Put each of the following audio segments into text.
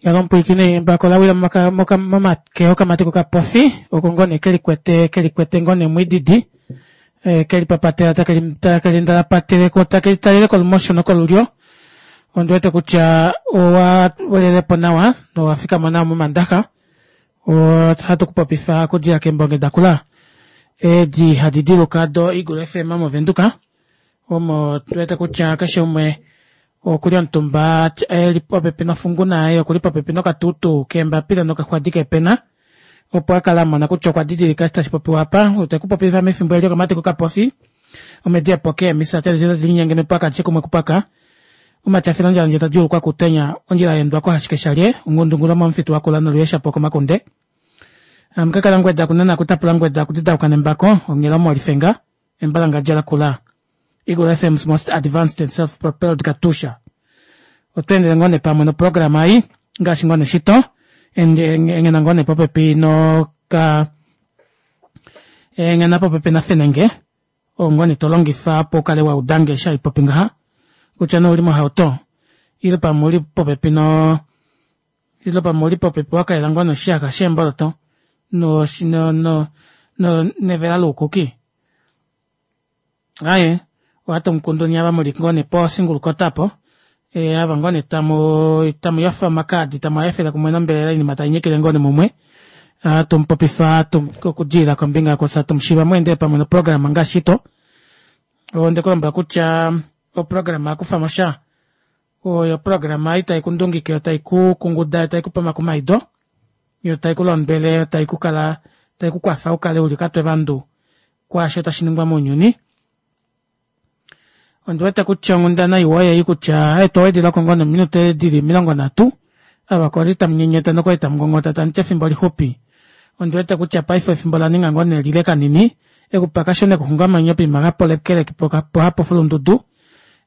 Yalo omupwilikini embako la wila momake okamati kokapofi oko ngoo nee kelikwete kelikwete ngoo nee mwididi kelipapatela takeli ndalapatele takelitalele kolumosho nokolulyo ondiwete kutya owa welelepo nawa nowafikama nawa momandaxa ohatu kupopifa okudilila keembonge dakula edi hadi diluka do eagle fm movenduka omo tuwete kutya keshe umwe okuli omutumba eli popepi nofunguna yaye okuli popepi nokatutu keembapila nokaxwadi keepena opo akale amona kutya okwa didilika eshi tashi popiwa apa. Ote kupopifa mefimbo eli okamati kokapofi omedi epoke eemisa tadi linyenge mepwaka alishe kumwe kupwaka omatafilo ondjala ndje tadjuulukwa kutenya ondjila yaendwa kohashike shalye ongundungula momufitu wakula noluyeshapo komakunde amukakala ngweda kunana kutapula ngweda kudidauka nembako onghela molifenga embalangadja lakula Eagle FM's most advanced and self-propelled Katusha. Otwa endele ngoo nee pamwe noprograma ei ngaashi ngoo nee shito enghena ngoo nee popepi noka enghena popepi nafenenge oo ngoo nee to longifa opo ukale wa udange eshi haipopi ngaha kutya nee ouli mohauto ile pamwe ouli popepi no ile pamwe ouli popepi wakalela ngoo nee oshiyaxa sheemboloto no no no nevela loukuki Aye, ohatu mukundu nye ava muli ngoo nee po single quota apo eh, ava ngoo nee tamu tamu yofa omakaadi tamu a kumwe nombelela oinima tai nyikile ngoo nee mumwe hatu mupopifa okudilila kombinga yokusa tumushiva mweendele pamwe noprograma ngaashi shito onde ku lombwela kutya oprograma yakufa mo sha oyo oprograma ei tai ku ndungike yo tai ku kunguda yo tai ku pe omakumaido yo tai ku londwele yo tai ku kala tai ku kwafa u kale uli okatwe vandu kwaasho tashi ningwa mounyuni. Ondi wete kutya onghundana iwa oyeyi kutya etwa wedilako ngoo nominute dili 30 ava kwali tamu nyenyeta nokwali tamu ngongota tamu ti efimbo lixupi. Ondi wete kutya paife efimbo ola ninga ngoo nee lile kanini ekupakasho nekuxungamwenyo poima hapolekeleki po hapofulundudu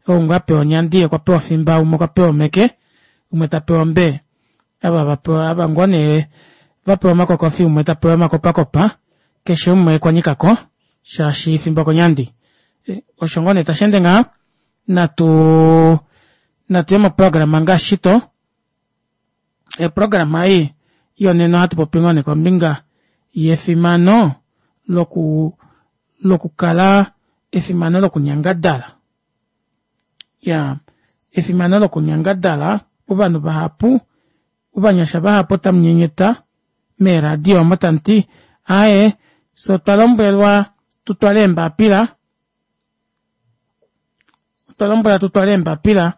ou ngoo apewa onyandi ye okwa pewa ofimba umwe okwa pewa omeke umwe ta pewa ombe ava vapewa ava ngoo nee vapewa omakokofi umwe ta pewa omakopakopa keshe umwe okwa nyikako shaashi fimbo konyandi osho ngoo nee tashi ende ngaha natu natu ye moprograma ngaashi shito eprograma ei yonena ohatu popi ngoo nee kombinga yefimano loku lokukala efimano lokunyangadala ya efimano lokunyangadala ovanhu vahapu ovanyasha vahapu otamu nyenyeta meeradio omo tamu ti aaye fye otwa lombwelwa tu twale eembapila otwa lombwelwa tu twale eembapila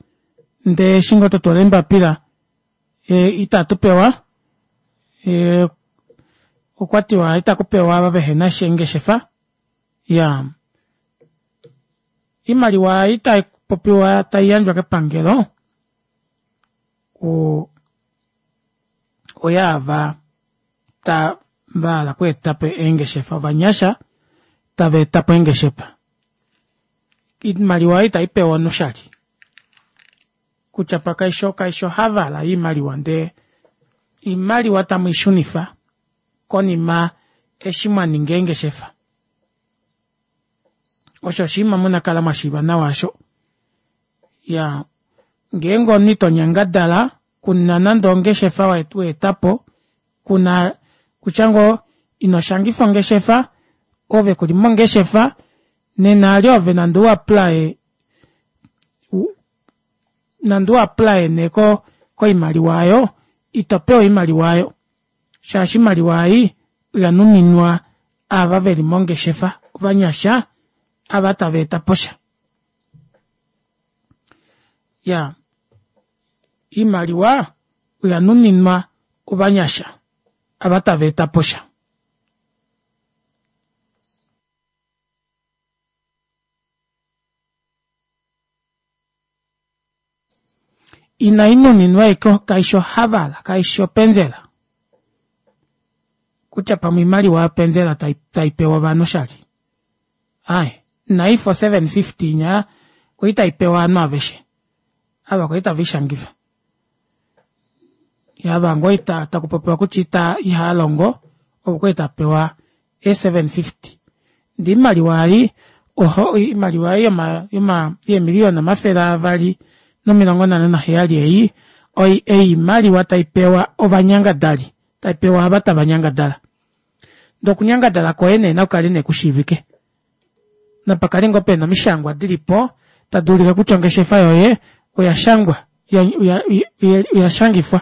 ndee eshi ngoo twa twala eembapila e, itatu pewa e, okwa tiwa itaku pewa ava vehena shengeshefa ya imaliwa itai popiwa tai yandjwa kepangelo o oyaava ta va hala okweeta po eengeshefa ovanyasha tava eta po eengeshefa oimaliwa itai pewa omunhu oshali kutya pa kaisho kaisho havala iimaliwa ndee iimaliwa tamu i shunifa konima eshi mwa ninga eengeshefa osho oshinima muna kala mwa shiiva nawa osho ya ngeenge omunhu ito nyangadala kuna nande ongeshefa weeta po kuna kutya ngoo ino shangifa ongeshefa ove kuli mongeshefa nena ali ove nande u apply nande u apply nee ko koimaliwa ayo ito pewa oimaliwa ayo shaashi oimaliwa ei oya nuninwa ava veli mongeshefa ovanyasha ava tava eta posha ya iimaliwa oya nuninwa ovanyasha ava tava eta po sha. Inai nuninwa ashike kaishi ohavala kaishi openzela kutya pamwe oimaliwa yopenzela tai pewa ovanhu oshali aaye naifa o 750 inya kwali tai pewa ovanhu aveshe ava kwali tave ishangifa ava ngoo ita taku popiwa kutya ita ihaa longo ovo kwali ta pewa e 750 ndee oimaliwa ei oho oimaliwa ei yoma yoma yeemiliyona 257 ei. Oimaliwa taipewa ovanyangadali, taipewa ava tava nyangadala. Ndee okunyangadala kwoye nee nakukale nee kushiivike. Napakale ngoo pena omishangwa dilipo tadi ulike kutya ongeshefa yoye oyashangwa oyashangifwa.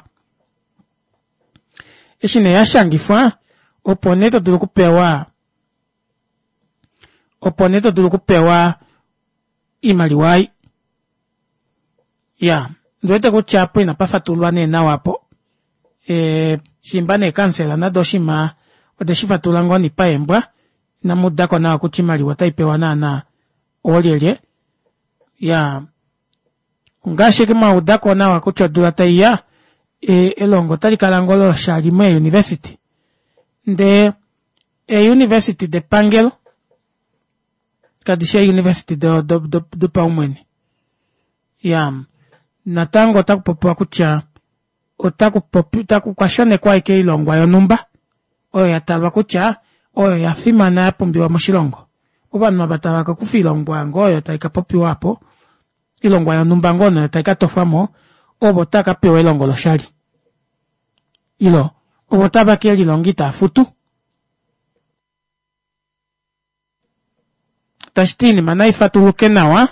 Eshi nee yashangifwa opo nee todulu okupewa opo nee todulu okupewa oimaliwa ei. Iyaa ondiwete kutya aapo ina pafatululwa nee nawa aapo shiimba nee kamusela nande oshiima odeshi fatulula ngoo nee paembwa inamuudako nawa kutya oimaliwa ota ipewa naana oolyelye. Iyaa ongaashi ashike mwaudako nawa kutya odula taiya elongo ota likala ngoo loshali mee university ndee ee university depangelo kadishi ee university dopaumwene. Iyaa natango ota kupopiwa kutya okwashonekwa ashike oilongwa yonumba oyo yatalwa kutya oyo yafimana yapumbiwa moshilongo. Ovanhu ava tava kakufa oilongwa ngoo oyo taikapopiwa aapo oilongwa yonumba ngoo nee oyo taikatofwamo ovo tava kapewa elongo loshali ile ovo tave kelilonga itaafutu. Tashiti oinima naifatuluke nawa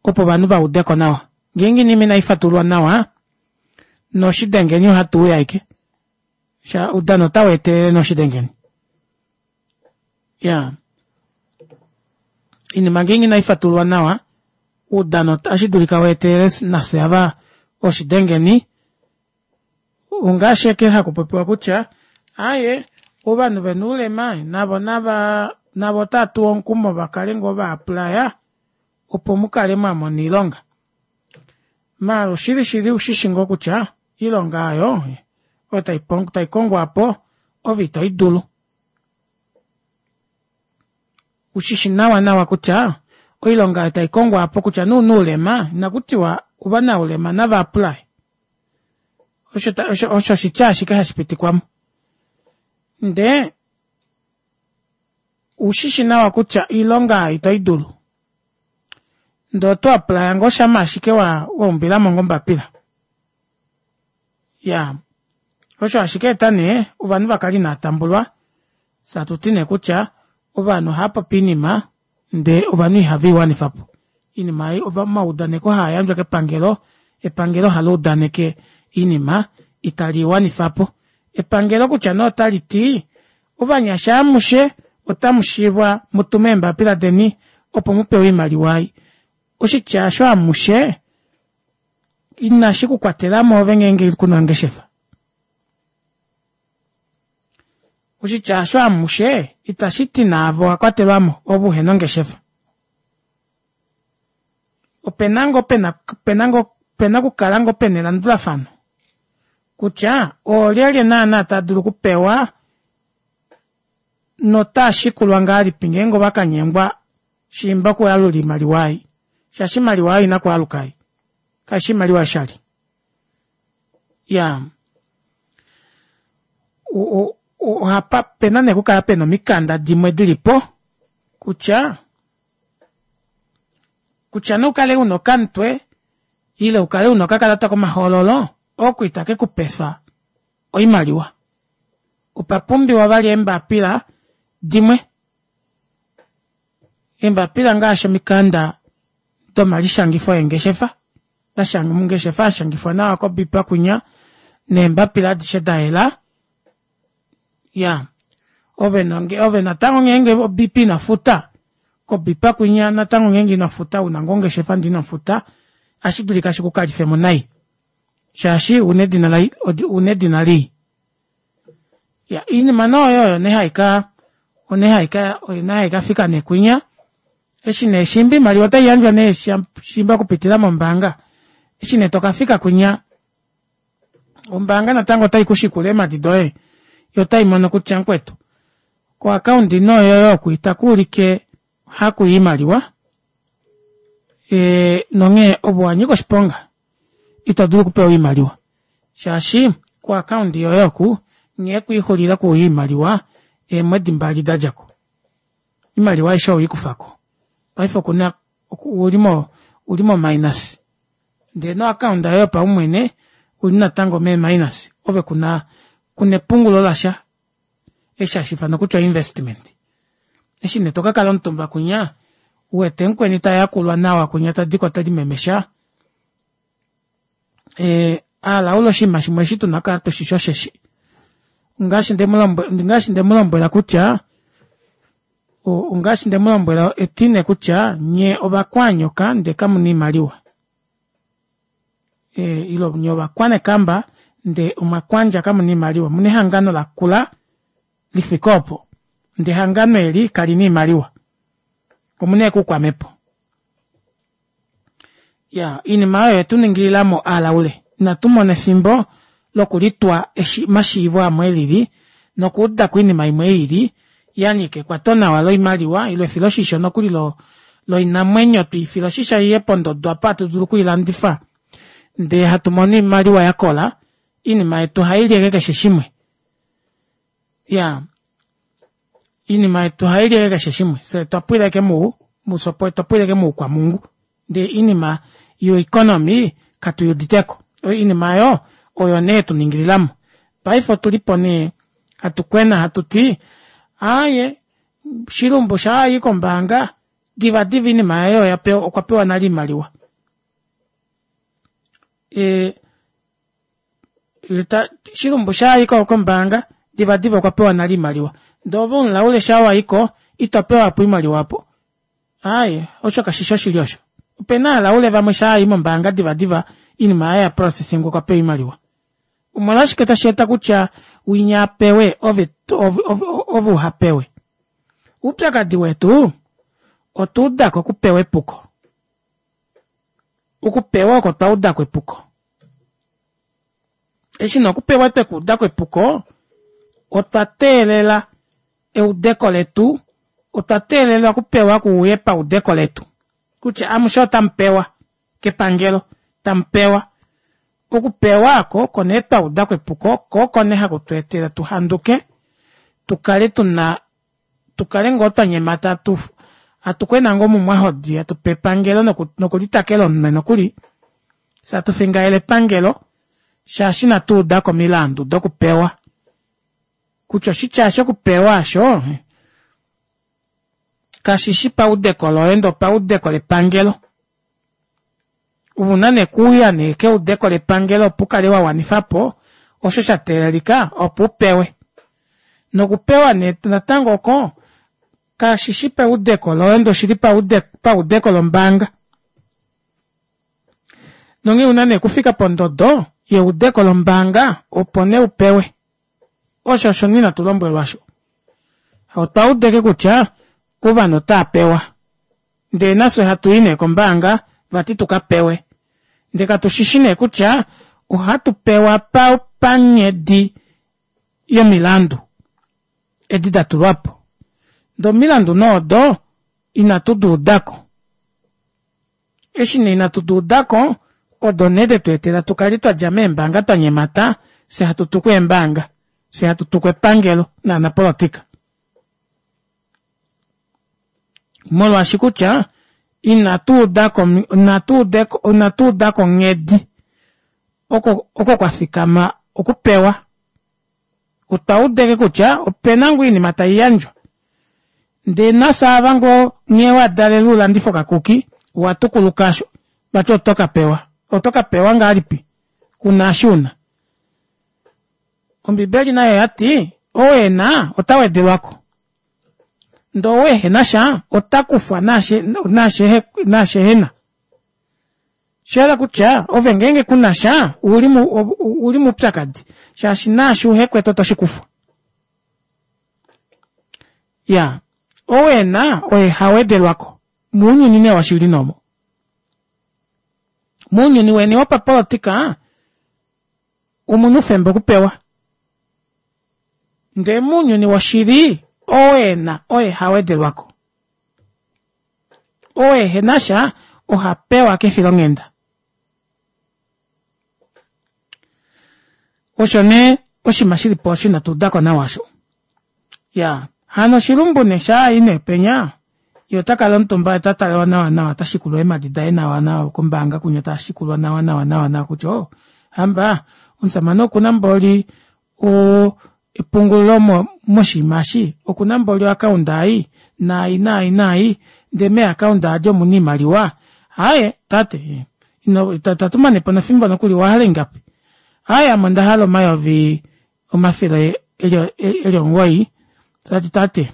opo ovanhu vaudeko nawa. Ngeenge oinima inaifatululwa nawa noshidengeni ohatuuya ashike oudano ota weetelele nee oshidengeni. Iyaa oinima ngeenge inaifatululwa nawa oudano otashidulika weetelele nafye ava oshidengeni ongaashi ashike hakupopiwa kutya aaye ovanhu vena oulema navo nava navo otava tuwa omukumo vakale ngoo va applya opo mukale mwamona oilonga. Maala oshili shili ushishi ngoo kutya oilonga aayo oyo taikongwa aapo ove itoidulu. Ushishi nawa nawa kutya oilonga aayo taikongwa aapo kutya nee ouna oulema inakutiwa ovanaulema nava apply osho oshitya ashike hashi pitikwamo ndee ushishi nawa kutya oilonga aayo ito idulu ndee oto apply ngoo shama ashike waumbilamo ngoo ombapila. Iyaa osho hashi kaeta nee ovanhu vakale inaatambulwa fyee hatuti nee kutya ovanhu ohaapopi oinima ndee ovanhu ihave iwanifapo. Oinima ei omaudaneko haayandjwa kepangelo, epangelo ohaluudaneke oinima itali iwanifapo. Epangelo kutya nee otaliti ovanyasha amushe otamushiivwa mutume eembapila deni opo mupewe oimaliwa ei. Oshitya aasho amushe inashi kukwatelamo ove ngeenge kuna ongeshefa. Oshitya aasho amushe itashiti naave owakwatelwamo ove uhena ongeshefa. Opena ngoo pena opena ngoo opena okukala ngoo pena elandulafano kutya oolyelye naana tava dulu okupewa notaashikulwa ngahelipi ngeenge ovakanyengwa shiimba okuyalula oimaliwa ei shaashi oimaliwa oyo ina kwaaluka ei kaishi oimaliwa yoshali. Iyaa ohapa opena nee okukala pena omikanda dimwe dilipo kutya kutya nee ukale una okamutwe ile ukale una okakalata komahoololo oko ita kekupefa oimaliwa. Opa pumbiwa vali eembapila dimwe, eembapila ngaashi omikanda domalishangifo eengeshefa ongeshefa yashangifwa nawa kobipa kwinya neembapila adishe dayela. Iyaa ove natango ngeenge o-bp inofuta kobipa kwinya natango ngeenge inofuta una ngoo ongeshefa ndee inofuta ohashidulika shikukalifemo nai shaashi ouna edina ouna edina lii. Iyaa oinima nee oyo oyo nee haika oyo nee haikafika nee kwinya eshi nee shiimba oimaliwa ota iyandjwa nee shiimba okupitila mombaanga eshi nee tokafika kwinya ombaanga natango ota ikushikula eemadi doye yoo otaimono kutya mukwetu ko account nee yoye oku itakuulike hakuya oimaliwa nonghee ove owanyika oshiponga ito dulu okupewa oimaliwa shaashi ko account yoye oku nghee kwiixulila okuuya oimaliwa eemwedi mbali dadjako oimaliwa aishe oweikufako paife okuna ouli mo minus ndee no account yoye yopaumwene. Uli natango mee minus ove kuna kuna epungulo lasha eshi hashi ifanwa kutya oinvestment. Eshi nee tokakala omutumba kunya uwete mukweni tayakulwa nawa kunya tadiko telimemesha ee alaula oshinima shimwe eshi tuna okukala tushishi osheshi ongaashi ndemu ndemulombwela kutya ongaashi ndemulombwela etine kutya nyee ovakwanyoka ndee kamuna oimaliwa ile nye ovakwanekamba ndee omwakwandja kamuna oimaliwa omuna ehangano lakula lifike oopo ndee ehangano eli kalina oimaliwa omuna ashike oukwamhepo. Iyaa oinima aayo oyetuningililamo alaule inatumona efimbo lokulitwa omashiivo amwe elili nokuudako oinima imwe ilili yanyika ekwato nawa loimaliwa ile efiloshisho nokuli loinamwenyo twiifile oshisho iye pondodo aapo hatu dulu okwiilandifa ndee hatu mono oimaliwa yakola oinima yetu ohaili ashike keshe shimwe iyaa oinima yetu ohaili ashike keshe shimwe fyee otwapwila ashike otwapwila ashike moukwamungu ndee oinima yo economy katuyuuditeko oinima aayo oyo nee yetuningililamo paife otulipo nee hatu kwena hatuti aaye shilumbu shaayi kombaanga divadiva oinima yaye okwa pewa nale oimaliwa ee shilumbu shaayi kombaanga divadiva okwa pewa nale oimaliwa ndee ove umulaule shaa waiko itopewa opo oimaliwa aapo aaye osho kashishi oshili osho opena ovalaule vamwe shaa vayi mombaanga divadiva oinima yaye yaprocessingwa okwa pewa oimaliwa omolwashike tashi eta kutya winya apewe ove ove uhapewe oupyakadi wetu otwa udako okupewa epuko okupewa oko twa udako epuko eshi nee okupewa twekuudako epuko otwa teelela eudeko letu otwa teelela okupewa kuuye paudeko letu kutya amushe otamu pewa kepangelo tamu pewa okupewa oko oko nee twa udako epuko ko oko nee haku tu etele tu handuke tu kale tuna tu kale ngoo twa nyemata tu hatu kwena ngoo mumwahodi hatu pe epangelo nokulitakela omunwe nokuli fye hatu fingaele epangelo shaashi inatu udako omilandu dokupewa kutya oshitya shokupewa osho kashishi paudeko loye ndee opaudeko lepangelo ove una nee okuuya nee keudeko lepangelo opo ukale wawanifapo osho sha teelelika opo upewe nokupewa nee natango oko kashishi paudeko loye ndee oshili paudeko lombaanga nonghee una nee okufika pondodo yeudeko lombaanga opo nee upewe Osho osho nee inatu lombwelwa osho. Otwa udeke kutya ovanhu otaa pewa. Ndee nafye hatu i nee kombaanga vati tu ka pewe. Ndee katu shishi nee kutya ohatu pewa pa panghedi yomilandu edi da tulwa po. Ndee omilandu nee odo inatu di udako. Eshi nee inatu di uda ko, odo nee de tu etela tu kale twa dja meembaanga twa nyemata, fye hatu tuku eembaanga, fye hatu tuku epangelo naanapolotika. Molwaashi kutya inatu uda ko, inatu uda ko, inatu uda ko onghedi oko, oko kwa fikama okupewa. Otwa udeke kutya opena ngoo oinima tai yandjwa ndee nafye ava ngoo nghee wa dalelwe ulandife okakuki owa tukuluka osho vati oto ka pewa. Oto ka pewa ngahelipi kuna eshi una? Ombibeli nayo oyati ou ena ota wedelwako ndee ou ehena sha ota kufwa naashi ehena. Osha yela kutya ove ngeenge ku na sha ouli moupyakadi shaashi naashi uhe kwete oto shi kufwa. Ya, ou e na oye ha wedelwa ko. Mounyuni nee washili nee omo. Mounyuni weni wopapolitika omu na oufemba okupewa. Ndee mounyuni woshili ou e na oye ha wedelwa ko. Oo ehe na sha oha pewa kefilonghenda. Osho nee oshinima shi li po osho inatu uda ko nawa osho. Ya, hano oshilumbu nee shaa i nee penya, ye ota kala omutumba ye ota talelwa nawa nawa ota shikulwa eemhadi daye nawa nawa kombaanga kwinya ta shikulwa nawa nawa nawa nawa kutya oh. Hamba omushamane okuna mboli oo epungulilo moshiima eshi okuna mboli o account ei naai naai naai ndee mee account aadi omuna oimaliwa aaye tate ita tumanepo nefimbo nokuli owahala ingapi aaye ame ondahala omayovi omafele eli omugoyi tati tate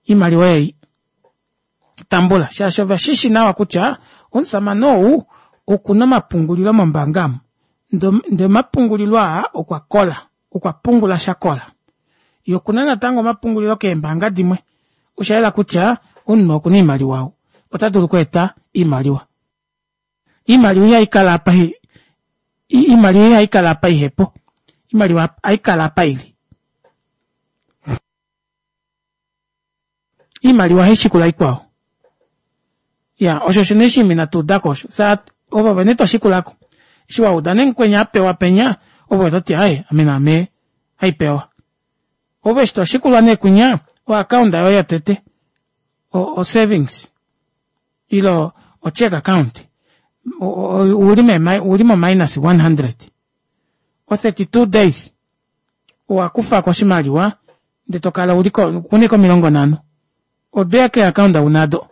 oimaliwa eyi tambula shaashi oveshishi nawa kutya omushamane ou okuna omapungulilo mombaanga amu ndee omapungulilo aa okwakola okwa pungula shakola yee okuna natango omapungulilo keembaanga dimwe oshayela kutya omunhu okuna oimaliwa ou otadulu okweeta oimaliwa. Oimaliwa ihaikala apa oimaliwa ihaikala apa ihepo oimaliwa ohaikala apa ili. Iimaliwa ohaishikula ikwao. Iyaa osho osho nee oshinima inatu udako osho. Fyee ove vene toshikulako. Eshi wauda nee mukweni apewa penya ove ototi aaye ame naame haipewa. Ove eshi toshikulwa nee kwinya o account yoye yotete o savings ile o cheque account ouli mo minus 100 o 32 days owakufako oshimaliwa ndee tokala una ashike 50 odo ashike ee account una aado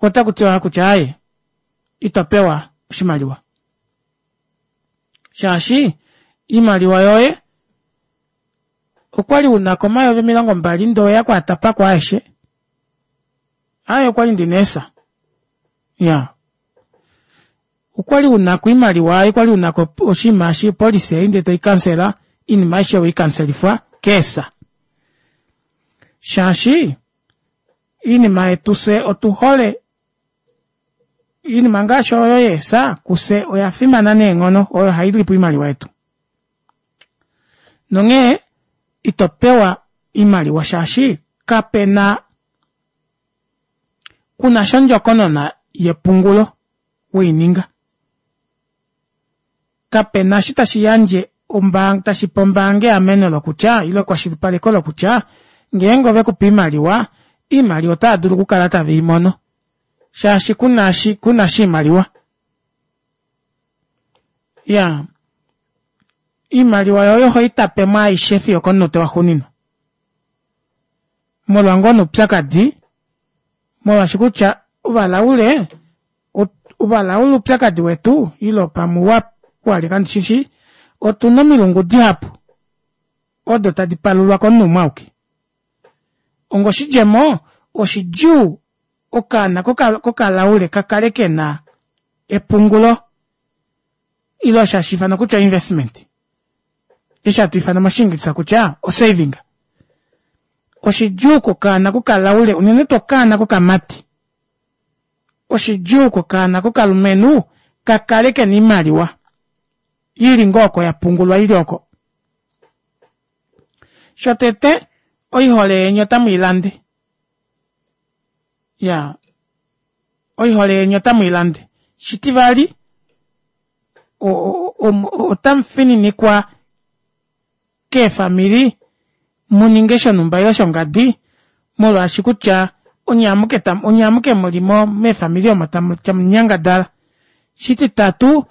otakutiwa kutya aaye itopewa oshimaliwa shaashi oimaliwa yoye okwali unako 20,000 ndee oweya okwaatapako aeshe aaye okwali ndina eesa iyaa Okwali unako oimaliwa ei kwali unako oshinima eshi opolicy ei ndee toikansela oinima aishe oweikanselifwa keesa shaashi oinima yetu fyee otuhole oinima ngaashi oyo yeesa kufye oyafimana neenghono oyo hailipo oimaliwa yetu nonghee ito pewa oimaliwa shaashi kapena kunasha ondjokonona yepungulo weininga. Kape na eshi tashi yandje ombaanga tashi pe ombaanga eameno lokutya ile ekwashilipaleko lokutya ngeenge ove ku pe oimaliwa, oimaliwa otava dulu okukala tave i mono shaashi kuna shi kuna sha oimaliwa. Iyaa, oimaliwa yoye ohoi tape mo aishe fiyo okomunute waxuuninwa. Molwa ngoo nee oupyakadi molwaashi kutya ovalaule ovalaule oupyakadi wetu ile pamwe walye kandishishi otuna omilungu dihapu odo tadi palulwa komunhu umwe auke onga oshidjemo oshidjuu okaana kokalaule kakale kena epungulo ile osho hashi ifanwa kutya investment eshi hatu ifana moshiingilisa kutya osaving oshidjuu kokaana kokalaule unene tuu okaana kokamati oshidjuu kokaana kokalumenhu ka kale kena oimaliwa ili ngoo oko yapungulwa ili oko. Shotete oihole yeni otamuilande ya oihole yeni otamuilande shitivali otamufininikwa keefamili muninge shonumba ile shongadi molwaashi kutya onye amuke onye amuke muli meefamili omo tamunyangadala. Shititatu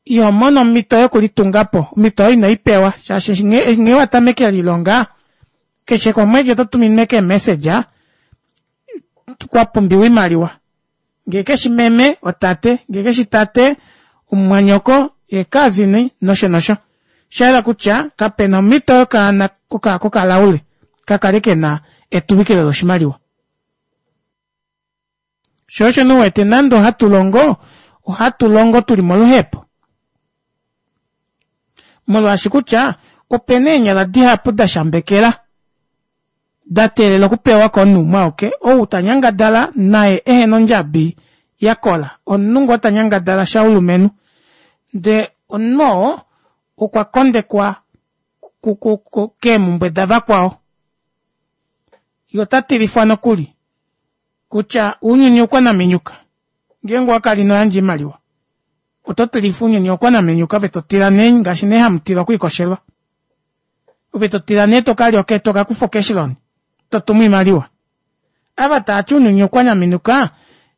iho mono omhito yokulitungapo omhito oyo inoipewa shaashi nghee watameke lilonga keshe komwedi oto tuminwa ashike eemessage kwapumbiwa oimaliwa ngee keshi meme otate ngee keshi tate omumwanyoko eecousin nosho nosho shayela kutya kapena omhito yokaana kokalaule kakale kena etuvikilo loshimaliwa sho osho nee uwete nande ohatu longo ohatu longo tuli moluhepo molwaashi kutya opena eenyala dihapu dashambekela da teelela okupewa komunhu umwe auke ou ta nyangadala naye ehena ondjabi yakola omunhu ngoo ta nyangadala shaulumenhu ndee omunhu oo okwa kondekwa keemumbwe davakwao ye ota tilifwa nokuli kutya ounyuni oukwanaminyuka ngeenge owakala ino yandja oimaliwa oto tilifa ounyuni oukwanaminyuka ove totila nee ngaashi nee hamutila okwiikoshelwa ove totila nee tokalya tokakufa ocash loan totumu oimaliwa ava taati ounyuni oukwanaminyuka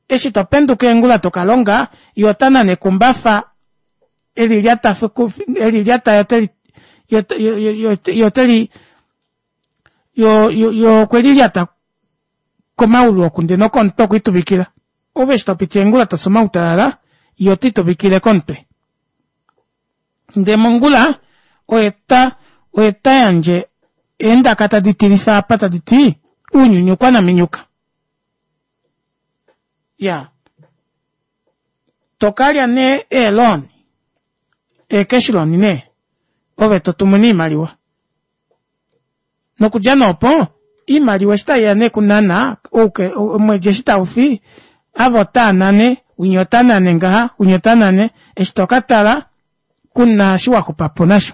eshi topenduka eengula tokalonga ye ota nane ekumbafa. Eli lyata eli lyata yo yo teli yo yo okwe lilyata komaulu oku ndee nokomutwe okwiituvikila. Ove eshi topiti eengula tofi omautalala ye ota ituvikile komutwe. Ndee mongula oye ta oye ta yandje eendaka tadi tilifa apa tadi ti uunyunyukwa naminyuka. Iyaa tokalya nee eeloan eecash loan nee ove totumu nee iimaliwa. Nokudja nee opo iimaliwa eshi taiya nee kunana omwedi eshi taufi ava otava nane winya ota nane ngaha winya ota nane eshi tokatala kuna eshi waxupapo nasho.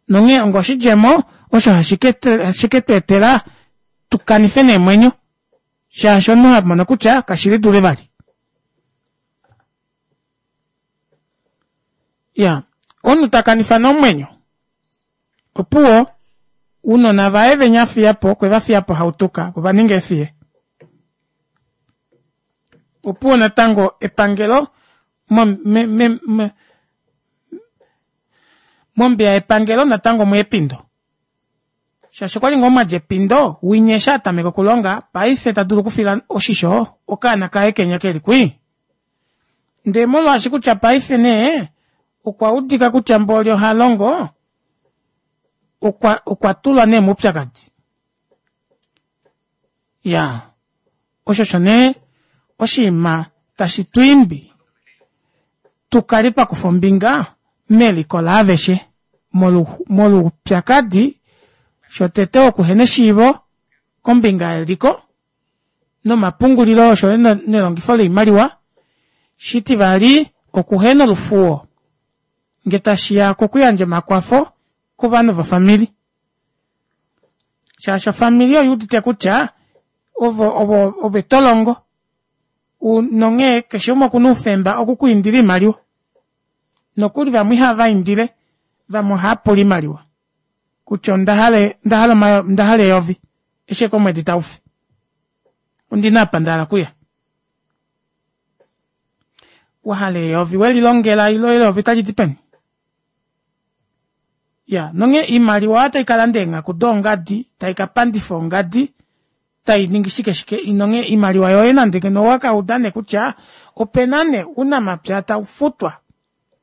Nonghee onga oshidjemo osho hashi ketweetela tukanife neemwenyo shaashi omunhu hamono kutya kashili dule vali. Iyaa omunhu takanifa nee omwenyo opuwo ounona vaye venya afiyapo okwe vafiyapo hautuka vo ovaninga eefiye. Opuwo natango epangelo mombiya yepangelo natango omweya epindo. Shaashi okwali ngoo mwadja epindo winya eshi atameka okulonga paife tadulu okufila oshisho okaana kaye kenya keli kwii. Ndee molwaashi kutya paife nee okwa udika kutya mboli oha longo okwa okwa tulwa nee moupyakadi. Iyaa osho osho nee oshinima tashi tu imbi tu kale twa kufa ombinga meliko laaveshe molwoupyakadi shotete wokuhena eshiivo kombinga yeliko nomapungulilo osho yo nelongifo loimaliwa, shitivali okuhena olufuwo nge tashiya kokuyandja omakwafo kovanhu vofamili shaashi ofamili oyuudite kutya ovo ovo ove tolongo nonghee keshe umwe okuna oufemba oku kwiindila oimaliwa nokuli vamwe ihava indile vamwe ohava pula oimaliwa kutya onda hala onda hala eyovi eshi ashike omwedi taufi ondina apa ndahala okuya wahala eyovi welilongela ilo eyovi otali di peni ya nonghee iimaliwa otai kalanda eenghaku doongadi tai ka pandifa ongadi tai ningi shike shike nonghee iimaliwa yoye nande ngeno owaka uda nee kutya opena nee ounamapya taufutwa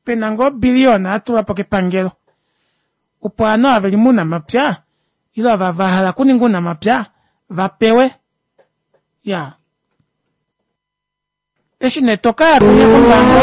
pena ngoo obiliyona yatulwapo kepangelo opo ovanhu ava veli mounamapya ile ava vahala okuninga ounamapya vapewe iyaa eshi nee tokaya kwinya kombaanga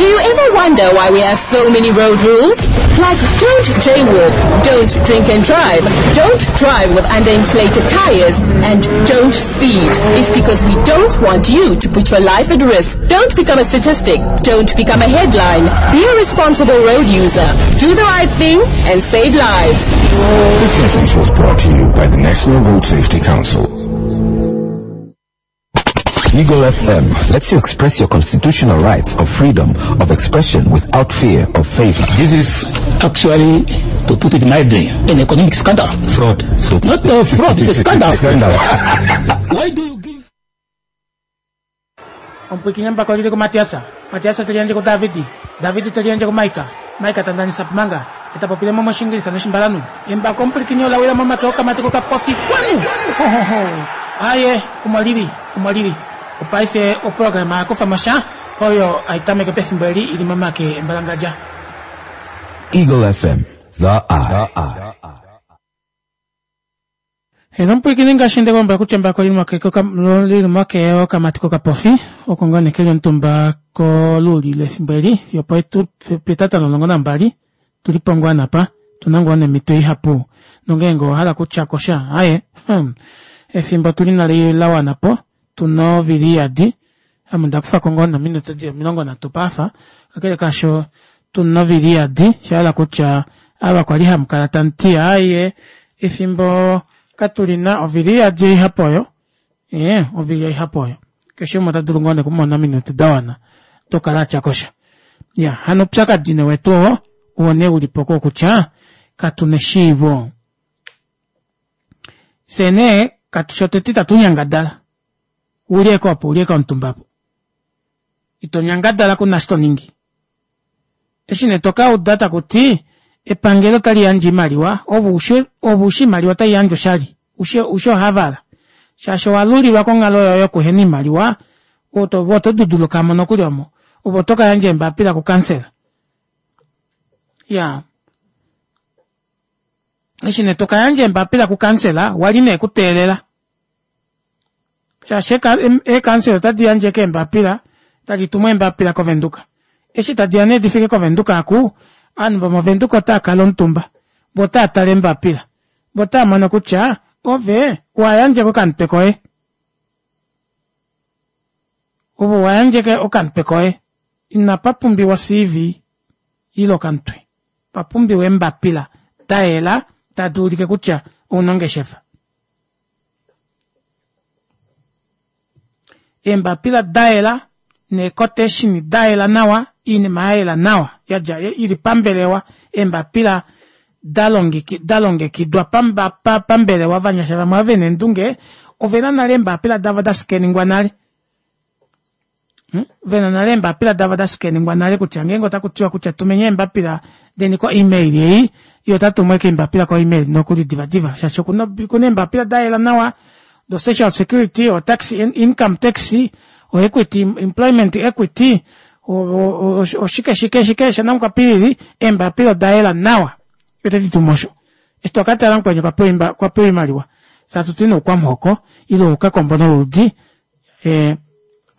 Do you ever wonder why we have so many road rules? Like don't jaywalk, don't drink and drive, don't drive with underinflated tires, and don't speed. It's because we don't want you to put your life at risk. Don't become a statistic. Don't become a headline. Be a responsible road user. Do the right thing and save lives. This message was brought to you by the National Road Safety Council. Eagle FM lets you express your constitutional rights of freedom of expression without fear of favor. This is actually, to put it mildly, an economic scandal. Fraud. So Not a fraud, it's a scandal. Scandal. Why do you give Omupwiikini embako olili kuMatiasa, Matiasa te liyandje kuDavidi, Davidi te liyandje kuMaika, Maika ta ndanisa Manga, e ta popile mo mOshingilisa nOshimbalanhu. Embako omupwilikini ola wila momake okamati kokapofi. Kwanu! Ho, ho, ho! Aaye, omo li li, omo li li. Opaife oprograma ya kufa mo sha oyo hai tameke pefimbo eli i li momake embalangadja. Eagle FM, the eye. Heno omupwilikini ngaashi nde kulombwela kutya embako oli li momake okamati kokapofi oko ngoo nee keli omutumba koluuli lefimbo eli fiyo petata lomulongo nambali tuli po ngoo napa tuna ngoo neemhito ihapu nongeenge owa hala okutya ko sha aaye hmm, efimbo tuli nalo la wana po tuna ovili iyadi ame onda kufa ko ngoo nominute dili 30 paafa kakele kaasho tuna ovili iyadi sha hala kutya ava kwali hamu kala tamu ti aaye efimbo katulina ovili iyadi oihapu oyo ee ovili oihapu oyo keshe umwe ota dulu ngoo nee okumona ominute da wana dokukala atya kosha ya hano oupyakadi nee wetu oo owo nee ulipo koo kutya katuna eshiivo fyee nee katu shotete itatu nyangadala ulyeke opo ulyeke omutumba opo. Ito nyangadala ku na shi to ningi. Eshi nee to ka uda taku ti epangelo otali yandje oimaliwa, ove ushi ove ushi oimaliwa otai yandjwa oshali, ushi ushi ohavala. Shaashi owa lulilwa konghalo yoye yokuhena oimaliwa, oto ove oto duduluka mo nokuli omo. Ove oto ka yandja eembapila kukansela. Iyaa. Eshi nee to ka yandja eembapila kukansela, wali nee kuteelela. Shaashi eekansela otadi yandje eke eembapila, tadi tumu eembapila kOvenduka. Eshi tadi ya nee di fike kOvenduka aku, ovanhu vomOvenduka otava kala omutumba, vo otava tale eembapila. Vo otava mono kutya ove owa yandja eke okamutwe koye. Ove owa yandja eke okamutwe koye. Inapa pumbiwa o-CV ile okamutwe. Pa pumbiwa eembapila da yela tadi ulike kutya ouna ongeshefa. Eembapila da yela neekoteshini da yela nawa, oinima ya yela nawa ya dja i li pambelewa, eembapila da longekidwa pambelewa. Ovanyasha vamwe ava ve na eendunge ove na nale eembapila davo da skeningwa nale. Hmm? Ve na nale eembapila davo da skeningwa nale kutya ngeenge otaku tiwa kutya tumeni eembapila deni ko-email ei, ye ota tumu eke eembapila ko-email nokuli divadiva shaashi okuna okuna eembapila da yela nawa do social security o tax income tax o equity employment equity oshike shike shike shanamukwapilili eembapila oda yela nawa ye teti tumu osho eshi to ka tala mukweni okwa pewa oimaliwa satu ti noukwamuhoko ile oukakombo noludi eh,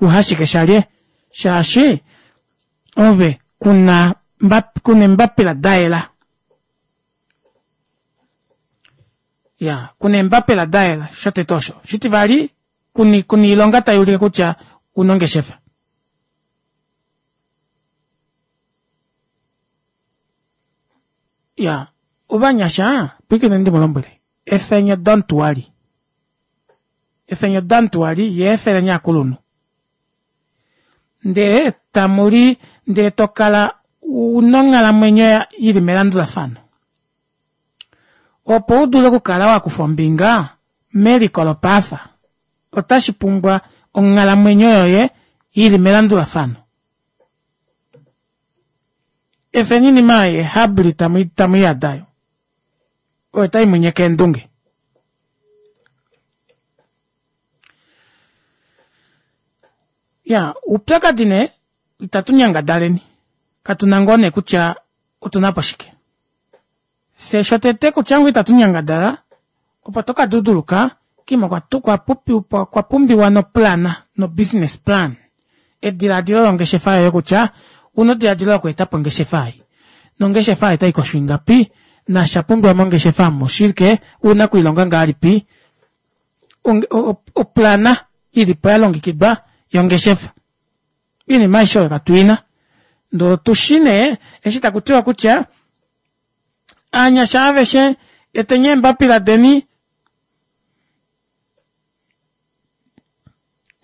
uhashike shalye shaashi ove kuna kuna embapila dayela ya kuna embapila dayela shotete osho shitivali kuni kuna iilonga tayi ulike kutya una ongeshefa ya ovanyasha pwikine ndi mu lombwele efenyo don't worry Efenyo Dantuali ye efeleni aakuluntu. Ndee tamu li ndee to kala u na onghalamwenyo yi li melandulafano. Opo u dule okukala wa kufa ombinga meliko lopaafa, otashi pumbwa onghalamwenyo yoye yi li melandulafano. Efeni inima yeehabli tamu i yada yo. Oyo tai mu nyeke eendunge. Ya, oupyakadi nee itatu nyangadaleni. Katu na ngoo nee kutya otu na po shike. Fye shotete kutya ngoo itatu nyangadala, opo to ka duduluka, kima okwa pumbiwa noplana, nobusiness plan. Ediladilo longeshefa yoye kutya una ediladilo loku eta po ongeshefa ei. Nongeshefa ei otai kosho ingapi, nasha pumbiwa mongeshefa omu oshike, una okuilonga ngahelipi. Oplana ili po ya longekidwa yongeshefa. Oinima aishe oyo katu ina. Ndee otu shi nee eshi taku tiwa kutya aanyasha aveshe eteni eembapila deni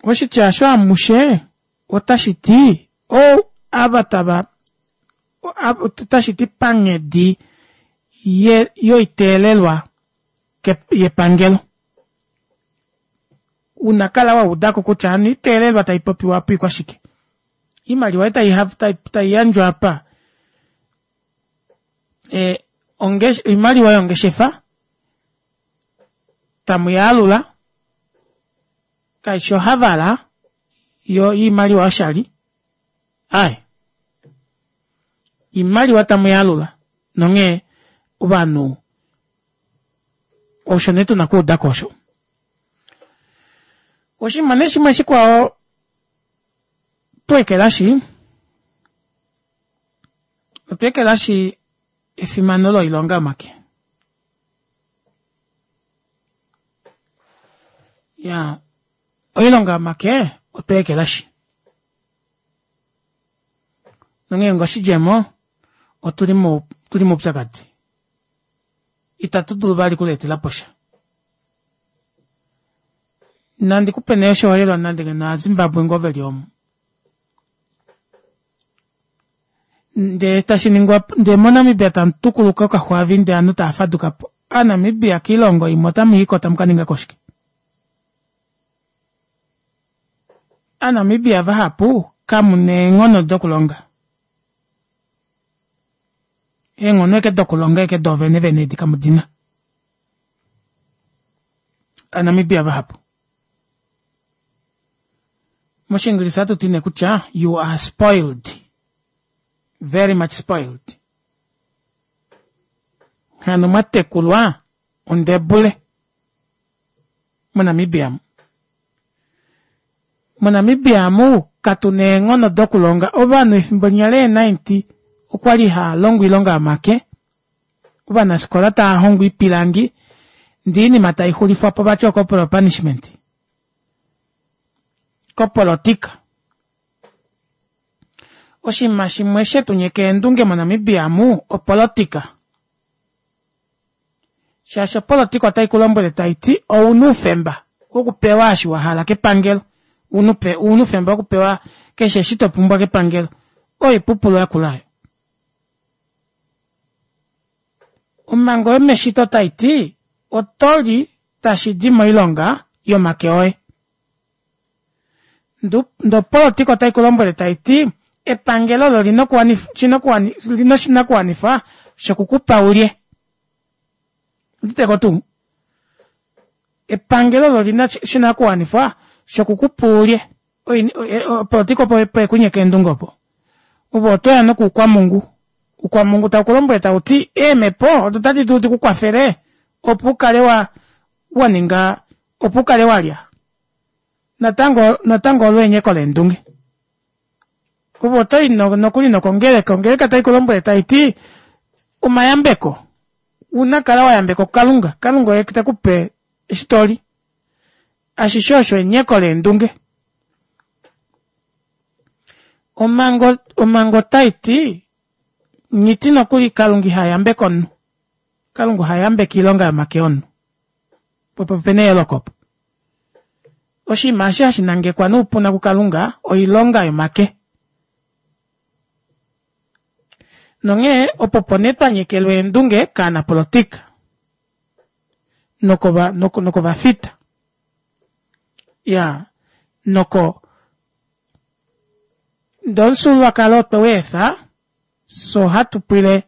Oshitya osho amushe otashi ti ou ava tava otashi ti panghedi yoiteelelwa yepangelo. Una kala wa uda ko kutya hano oiteelelwa tai popiwa apa oikwashike. Oimaliwa ei tai yandjwa apa oimaliwa yongeshefa tamu yaalula kaishi ohavala yo iimaliwa yoshali aye iimaliwa tamu yaalula nonghee ovanhu osho nee tuna kuuda ko osho oshinima nee shimwe shikwao tweekelashi otweekelashi efimano loilonga yomake Ya, oilonga yomake otwa ekelashi. Nonghee ngoshidjemo, otu li otu li moupyakadi. Itatu dulu vali okulietela po sha. Nandi ku pe nee oshiholelwa nande ngeno Aazimbabwe ngoo ve li omu. Ndee tashi ningwa ndee moNamibia tamu tukuluka okaxwaavi ndee ovanhu tava faduka po. Aanamibia kiilongo imwe otamu i ko tamu ka ninga ko shike? Aanamibia vahapu Kamu na eenghono dokulonga. Eenghono eke dokulonga eke doovene vene edi kamu di na. Aanamibia vahapu. Moshiingilisa ohatu ti nee kutya you are spoiled. Very much spoiled. Hano mwa tekulwa ondebule moNamibia mu. MoNamibia mu katu na eenghono dokulonga. Ovanhu efimbo linya lee 90 okwa li haa longo oilonga yomake. Ovanafikola tava hongo oipilangi ndee oinima tai xulifwa po vati ocorporal punishment kopolotika. Oshinima shimwe she tu nyeka eendunge moNamibia mu opolotika. Shaashi opolotika otai ku lombwele tai ti ouna oufemba wokupewa eshi wa hala kepangelo, ouna oufemba wokupewa keshe eshi to pumbwa kepangelo. Oipupulu yakula oyo. Omhango yomeshito tai ti oto li tashi di moilonga yomake oye. Ndee opolotika otai ku lombwele tai ti epangelo olo lina oshinakuwanifwa shoku ku pa ulye. Uditeko tuu? Epangelo olo lina oshinakuwanifwa shoku ku pa ulye. Opolotika opo opo ekunyeka eendunge opo. Ove oto ya nokuukwamungu. Uukwamungu tau ku lombwele tau ti eemhepo odo tadi dulu di ku kwafele opo u kale wa wa ninga opo u kale wa lya. Natango natango olo enyeko leendunge. Ove oto i nokuli nokongeleka, ongeleka tai ku lombwele tai ti omayambeko una kala wa yambekwa kuKalunga, Kalunga oye te ku pe eshi to li. Ashishe osho enyeko leendunge. Omhango omhango otai ti nghiti nokuli Kalunga iha yambeke omunhu. Kalunga oha yambeke oilonga yomake omunhu. Opo opena eyooloko opo. Oshinima eshi hashi nangekwa noupuna kuKalunga oilonga yomake. Nonghee opo opo nee twa nyekelwa eendunge kaanapolotika nokova nokovafita. Ya noko ndee omufyuululwakalo otwe u efa fye ohatu pwile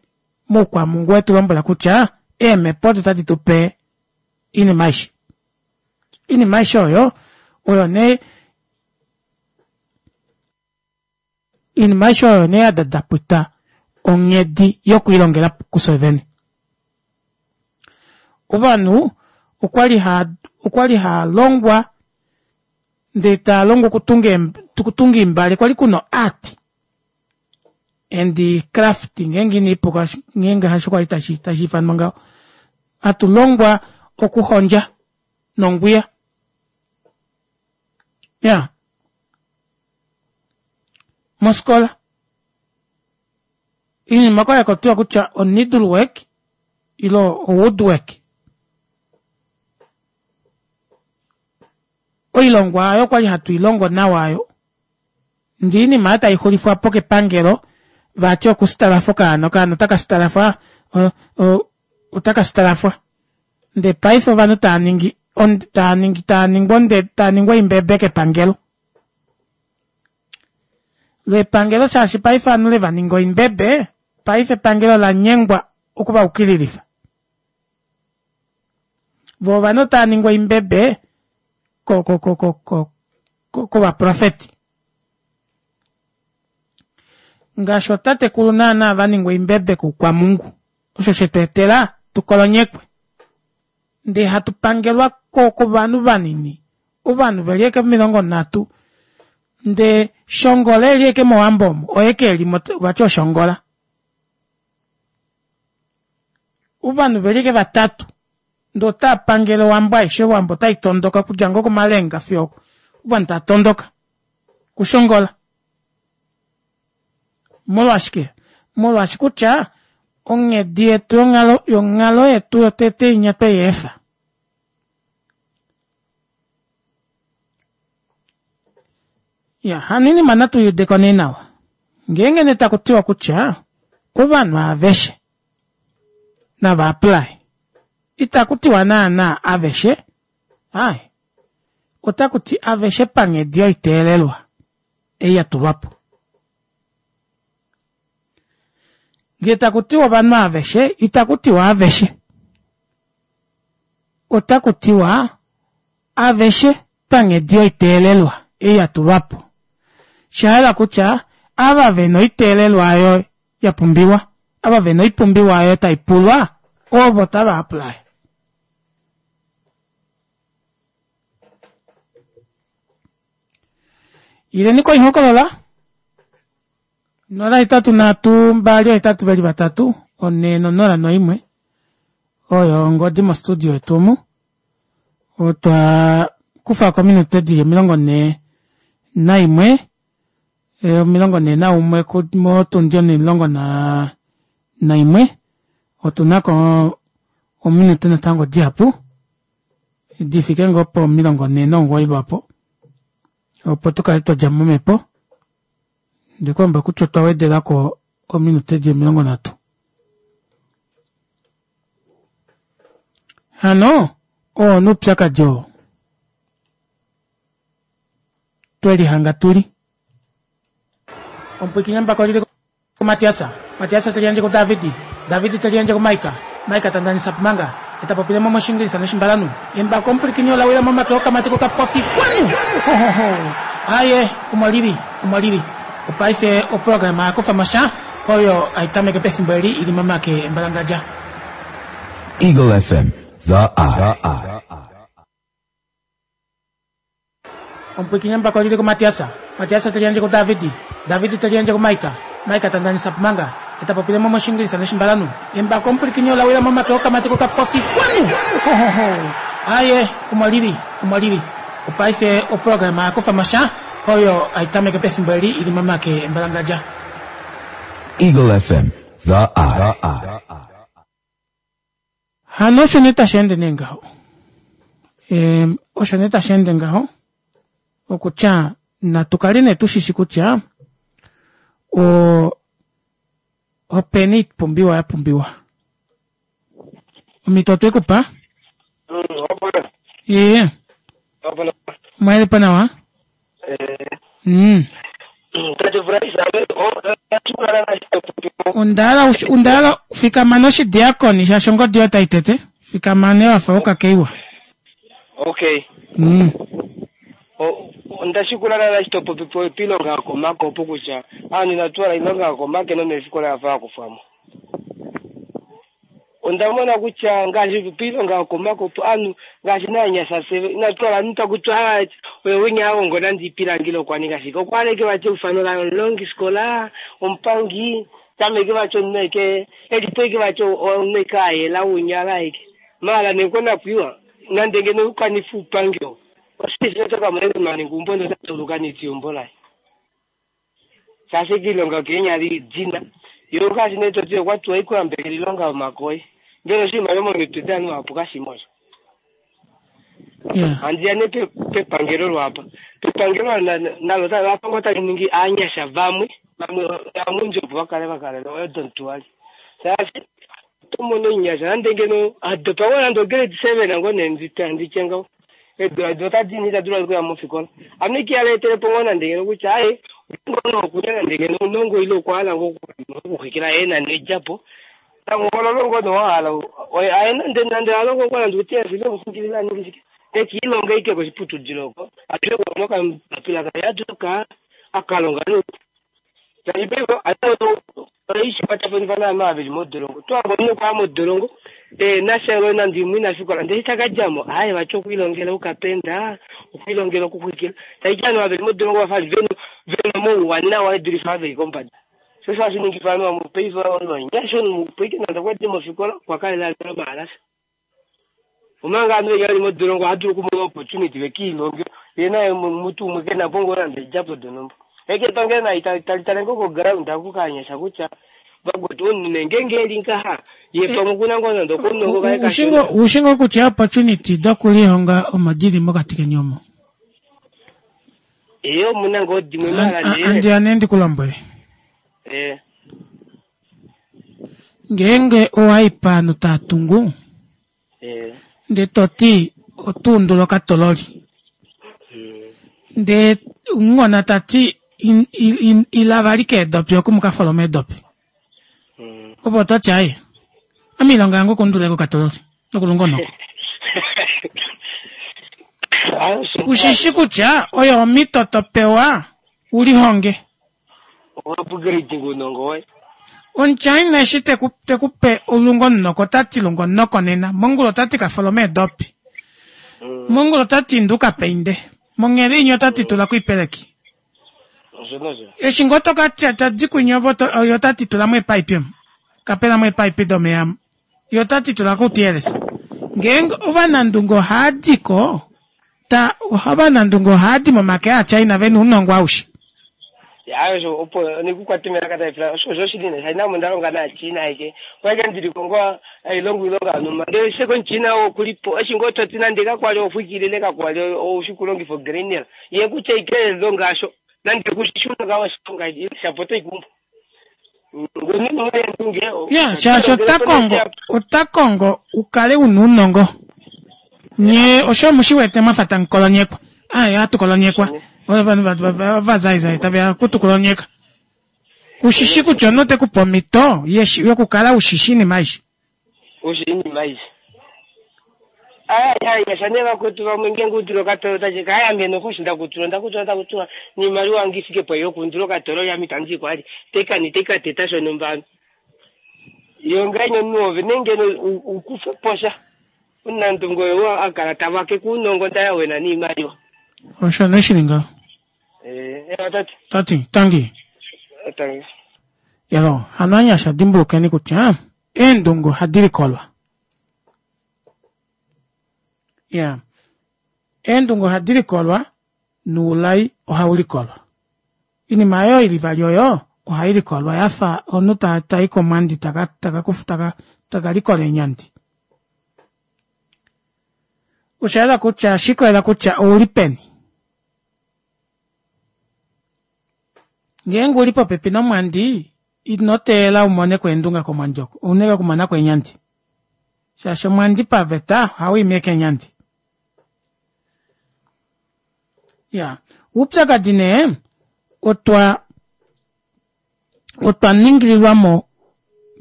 moukwamungu wetu lombwela kutya eemhepo odo tadi tu pe oinima aishe. Oinima aishe oyo oyo nee oinima aishe oyo nee ya dadapwita onghedi yokwiilongela kufye vene. Ovanhu okwali ha okwali haa longwa ndee taa longwa okutunga okutunga eembale kwali kuna oart and craft ngeenge ina ipuka ngeenge hasho kwali tashi tashi ifanwa ngaho hatu longwa okuhondja nongwiya ya mosikola iinima okwali haku tiwa kutya o needle work ile o wood work oilongwa aayo okwali hatu ilongo nawa aayo Ndee oinima aayo taixulifwa po kepangelo vati okusitalafa okaana, okaana otaka sitalafwa otaka sitalafwa ndee paife ovanhu tava ningi tava ningi tava ningwa onde tava ningwa oimbebe kepangelo. Lo epangelo shaashi paife ovanhu leva ninga oimbebe, paife epangelo ola nyengwa oku va ukililifa. Vo ovanhu otava ningwa oimbebe ko ko ko ko kovaprofeti. Ngaashi ootatekulu naanaa va ningwa oimbebe koukwamungu, osho she tu etela tu kolonyekwe ndee hatu pangelwa kovanhu vanini, ovanhu ve li eke 30 ndee Shongola e li eke mOwambo omo oye ke li mo vati oShongola. Ovanhu ve li eke vatatu ndee otaa pangele owambo aishe, owambo otai tondoka okudja ngoo komalenga fiyo ovanhu tava tondoka kushongola. Molwashike? Molwaashi kutya onghedi yetu yonghalo yonghalo yetu yotete inya twe i efa. Ya, hano oinima natu i ude ko nee nawa. Ngeenge nee taku tiwa kutya ovanhu aveshe nava apply, itaku tiwa naanaa aveshe, aaye, otaku ti aveshe panghedi yoiteelelwa. ei ya tulwa po. Ngee taku tiwa ovanhu aveshe, itaku tiwa aveshe. Otaku tiwa aveshe panghedi yoiteelelwa ei ya tulwa po. Sha hala kutya ava ve na oiteelelwa oyo ya pumbiwa, ava ve na oipumbiwa oyo tai pulwa, ovo tava apply. Ileni koihokolola 083 283 401 oyo ongodi mostudio yetu omu. Otwa kufa ko ominute dili 41 41 motundi 11 otu na ko ominute natango dihapu di fike ngoo po 49 lwapo opo tu kale twa dja momhepo. Ndikomba kutya otwa wedela ko ominute di 30. Hano oo oupyakadi oo twe lihanga tuli. Omupwiikini ambako lili kuMatiasa, Matiasa te liyandje kuDavidi, Davidi te liyandje kuMaika, Maika ta ndanisa pumanga, ye ta popile mo mOshingilisa nOshimbalanhu. Embako omupwilikini ola wila momake okamati kokapofi kwanu! Hohoho! Aye, omo lili, omo lili. Opaife oprograma ya kufa mo sha oyo hai tameke pefimbo eli i li momake embalangadja. Eagle FM, the eye. Omupwiikini embako lili kuMatiasa, Matiasa te liyandje kuDavidi, Davidi te liyandje kuMaika, Maika ta ndanisa pumanga, ye ta popile mo mOshingilisa nOshimbalanhu. Embako omupwilikini ola wila momake okamati kokapofi kwanu! Hohoho! Aye, omo lili, omo lili. Opaife oprograma ya kufa mo sha oyo hai tameke pefimbo eli i li momake embalangadja. Eagle FM, the eye. Hano osho nee tashi ende nee ngaho. Ehm, osho nee tashi ende ngaho okutya natu kale nee tu shishi kutya o openi oipumbiwa ya pumbiwa. Omhito otwe ku pa? Iye. Omwa pa nawa? Onda hala fikama noshidiakoni shaashi ongodi yoye otai tete. Fikama nee wafa wokakeiwa. Okay. Onda shikula lala eshi to popi piilonga yokomake opo kutya aantu inatu hala iilonga yokomake nomeefikola ya fa ya kufwa mo. Onda mona kutya ngaashi piilonga yokomake opo aantu ngaashi naanyasha fye inatu hala omuntu taku tiwa oye winya a hongo nande iipilangi ile okwa ninga shike. Okwa hala ashike vati eufano laye omulongisikola, omupangi, tameke vati omunhu ashike e li po ashike vati omunhu ashike a yela wunyala ashike. Maala nee konakwiiwa nande ngeno u kanife uupangi oo, oshishi oto ka mona ashike omunhu a ninga eumbo ndele ota dulu okanifa eumbo laye. Shaashi iilonga yokeenyala idina, yo ngaashi nee toti okwa tiwa oikuyambekela iilonga yomakoye. Mbela oshinima momitwe daanhu vahapu kashimo osho. Handi ya nee pepangelo lwaapa. Pepangelo nalo ola fa ngoo tali ningi aanyasha vamwe vamwe vamundji opo va kale va kalela odomtuali. Shaashi oto mono omunyasha nande ngeno a dopa ngoo nande ograde seven ngoo nee ndi tye ngaho. Eedula edi otadi ina ita dulu okuya mofikola. Ame iki ala etele po ngoo nande ngeno kutya aye ngeenge okuna nande ngeno ounongo ile okwa hala ngoo okuxwikila ye na nedjapo tamuhololo ngoo nee wa hala aye nande nande a longo ngoo nande uteyasi ile omuxwikili a ninge shike nekiilonga ike koshiputudilo oko a dule okumona okambapila kaye a dule oka a ka longa noupu. Shaashi paife ohandi kwatafanifa naanhu ava ve li modolongo. Oto hange omunhu okwa ya modolongo ehena sha nande imwe ina fikola ndele eshi ta ka dja mo aaye vati okwe lilongela oukapenda, okwe lilongela okuxwikila. Tashi ti ovanhu ava ve li modolongo ova fa ve na omauwanawa ve dulife ava ve li kombada. Sho osho hashi ningifa ovanhu vamwe paife ovanyasha omunhu opo ashike nande okwa dile mofikola okwa kalela a djala omahalasa. Omanga ovanhu venya veli modolongo ohava dulu okumona opportunity ve kiilonge ye naye mutu umwe ke na po ngoo nande edjapo donhumba. Ashike epangelo nali tali tale ngoo koground oku kaanyasha kutya vakwetu omunhu nee ngeenge eli ngaha ye pamwe okuna ngoo nande okounongo kaye kashona. Ushi ngoo kutya opportunity dokulihonga omo dili mokati keni omo? Ee omuna ngoo dimwe maala nee. Andiya nee ndi ku lombwele. Ee. Ngeenge owa i paanhu taa tungu, ndee to ti oto undula okatololi, ndee munghona ta ti. Ila vali keedopi oku mu ka folome eedopi. Opo ota ti aye. Ame iilonga yange okunduleka okatololi nokulunga onhoko. Ushishi kutya oyo omhito to pewa u lihonge. Upgrade uunongo woye. Omuchina eshi te ku, te ku pe olungo omunoko ota ti lunga omunoko nena. Mongula ota ti ka folome eedopi. Mongula ota ti inda u ka painde. Monghela inya ota ti tula ko oipeleki. Eshi ngoo to ka tya ta di kwinya ovo ye ota ti tula mo eepaipi omu. Kapela mo eepaipi domeya omu. Ye ota ti tula ko outiyelesa. Ngeenge ovanandunge ohaa di ko, ta, ovanandunge ohaa di momake aaChina ve na ounongo aushe. Ya osho opo nikukwate melaka tali pula osho osho shili ne shaina omo nda longa naaChina aike kwaike ndili ko ngoo hailongo oilonga yonhumba ndele sheke omuChina oo okulipo eshi ngoo toti nande kakwali oxwikilile kakwali oushi kulongifa ogrenel ye kutya ike longa asho nande kushishuna oshilonga shapo oto ikumbu Ya, shaashi ota kongo ota kongo u kale u na ounongo. Nye osho mu shi wete mwa fa tamu kolonyekwa. Ai, ohatu kolonyekwa. Ovanhu ovazaizai tave ya oku tu kolonyeka. Ku shi shi kutya omunhu ote ku pe omhito yokukala u shi shi iinima aishe. Osho iinima aishe. Aya ya ne vakwetu vamwe ngeenge udule okatolo tashi ka aya meno koshi ndakutula ndakutula ndakutula niimaliwa yange ifike po yokundula okatolo yami itandi kwali tekani tekateta shonumba yo ngahenya omunhu ove nenge ukufe posha omunandunge oyo a kala tavake kuunongo ndaya wena niimaliwa osho ne shili ngaho eh, eh, tati tangi tangi yalo hano anyasha dimbulukeni kutya eendunge ohadi likolwa ya eendunge ohadi likolwa noulai ohau likolwa inima oyo ili vali oyo ohai likolwa ya fa omunhu ta tai komwandi taka taka taka taka likola eenyandi osha yela kutya shikolela kutya ouli peni Ngeenge u li popepi nomwandi, ino teelela u mone ko eendunga komwandi oko. Ou na okumona ko eenyandi. Shaashi omwandi paveta ohau imi ashike eenyandi. Ya, oupyakadi nee otwa otwa ningililwa mo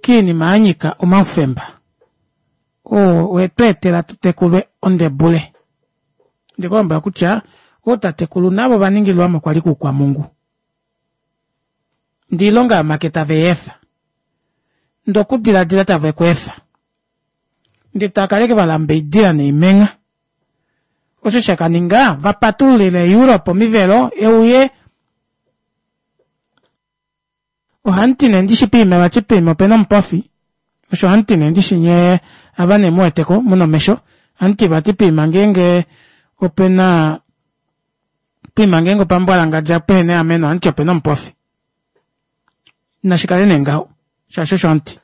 kiinima ya nyika omaufemba oo we tu etela tu tekulwe ondebule. Nde ku lombwela kutya ootatekulu navo ova ningililwa mo kwali kuukwamungu. Ndee oilonga yomake tave i efa. Ndee okudiladila tave ku efa. Ndee tava kala ashike va lamba oidila noimengha. Osho sha ka ninga va patululile Europe omivelo e uye Ohamuti nee ndishi piima vati piima opena omupofi osho hamuti nee ndishi nyee ava nee muweteko muna omesho hamuti vati piima ngeenge opena piima ngeenge opambwalangadja pehena eameno hamuti opena omupofi nashi kale nee ngaho shaashi osho hamuti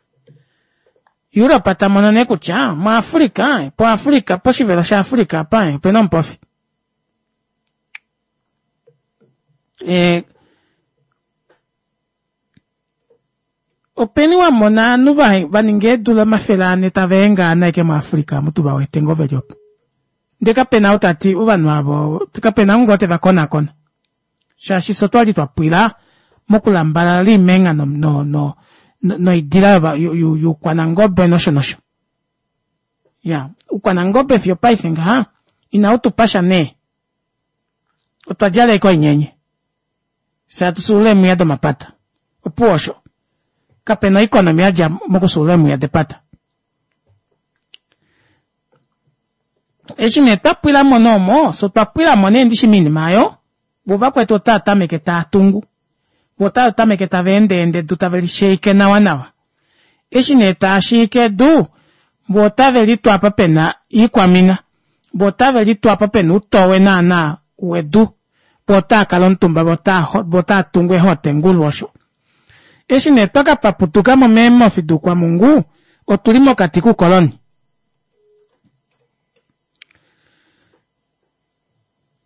Europe ta mono nee kutya muAfrica poAfrica poshivelo shaAfrica apa opena omupofi Eh, openi wa mona ovanhu va ninga eedula 400 tava engaana ashike muAfrica amu tu va wete ngoo ve li opo ndee kape na ou ta ti ovanhu avo kape na ou ngoo te va konakona shaashi fye otwa li twa pwila mokulambalala oimengha noidila youkwanangobe nosho nosho ya oukwanangobe fiyo paife ngaha inau tu pa sha nee Otwa djala ashike oinyenye. Fye hatu fyuulula eemwiya domapata. Opuwo osho. Kape na oikonomi ya dja mokufyuulula eemwiya depata. Eshi nee twa pwila mo noomo, fye otwa pwila mo nee ndishi moinima oyo, vo vakwetu otava tameke tava tungu. Vo otava tameke tava endeende edu tave li sheike nawanawa. Eshi nee taa shiike edu, vo otave litwa apa pe na iikwamina. Vo otave litwa apa pe na uutowe naanaa wedu. Vo otaa kala omutumba, vo otaa, vo otaa tungu eehotengulu osho. Eshi nee twa ka paputuka mo meemhofi duukwamungu, otu li mokati kuukoloni.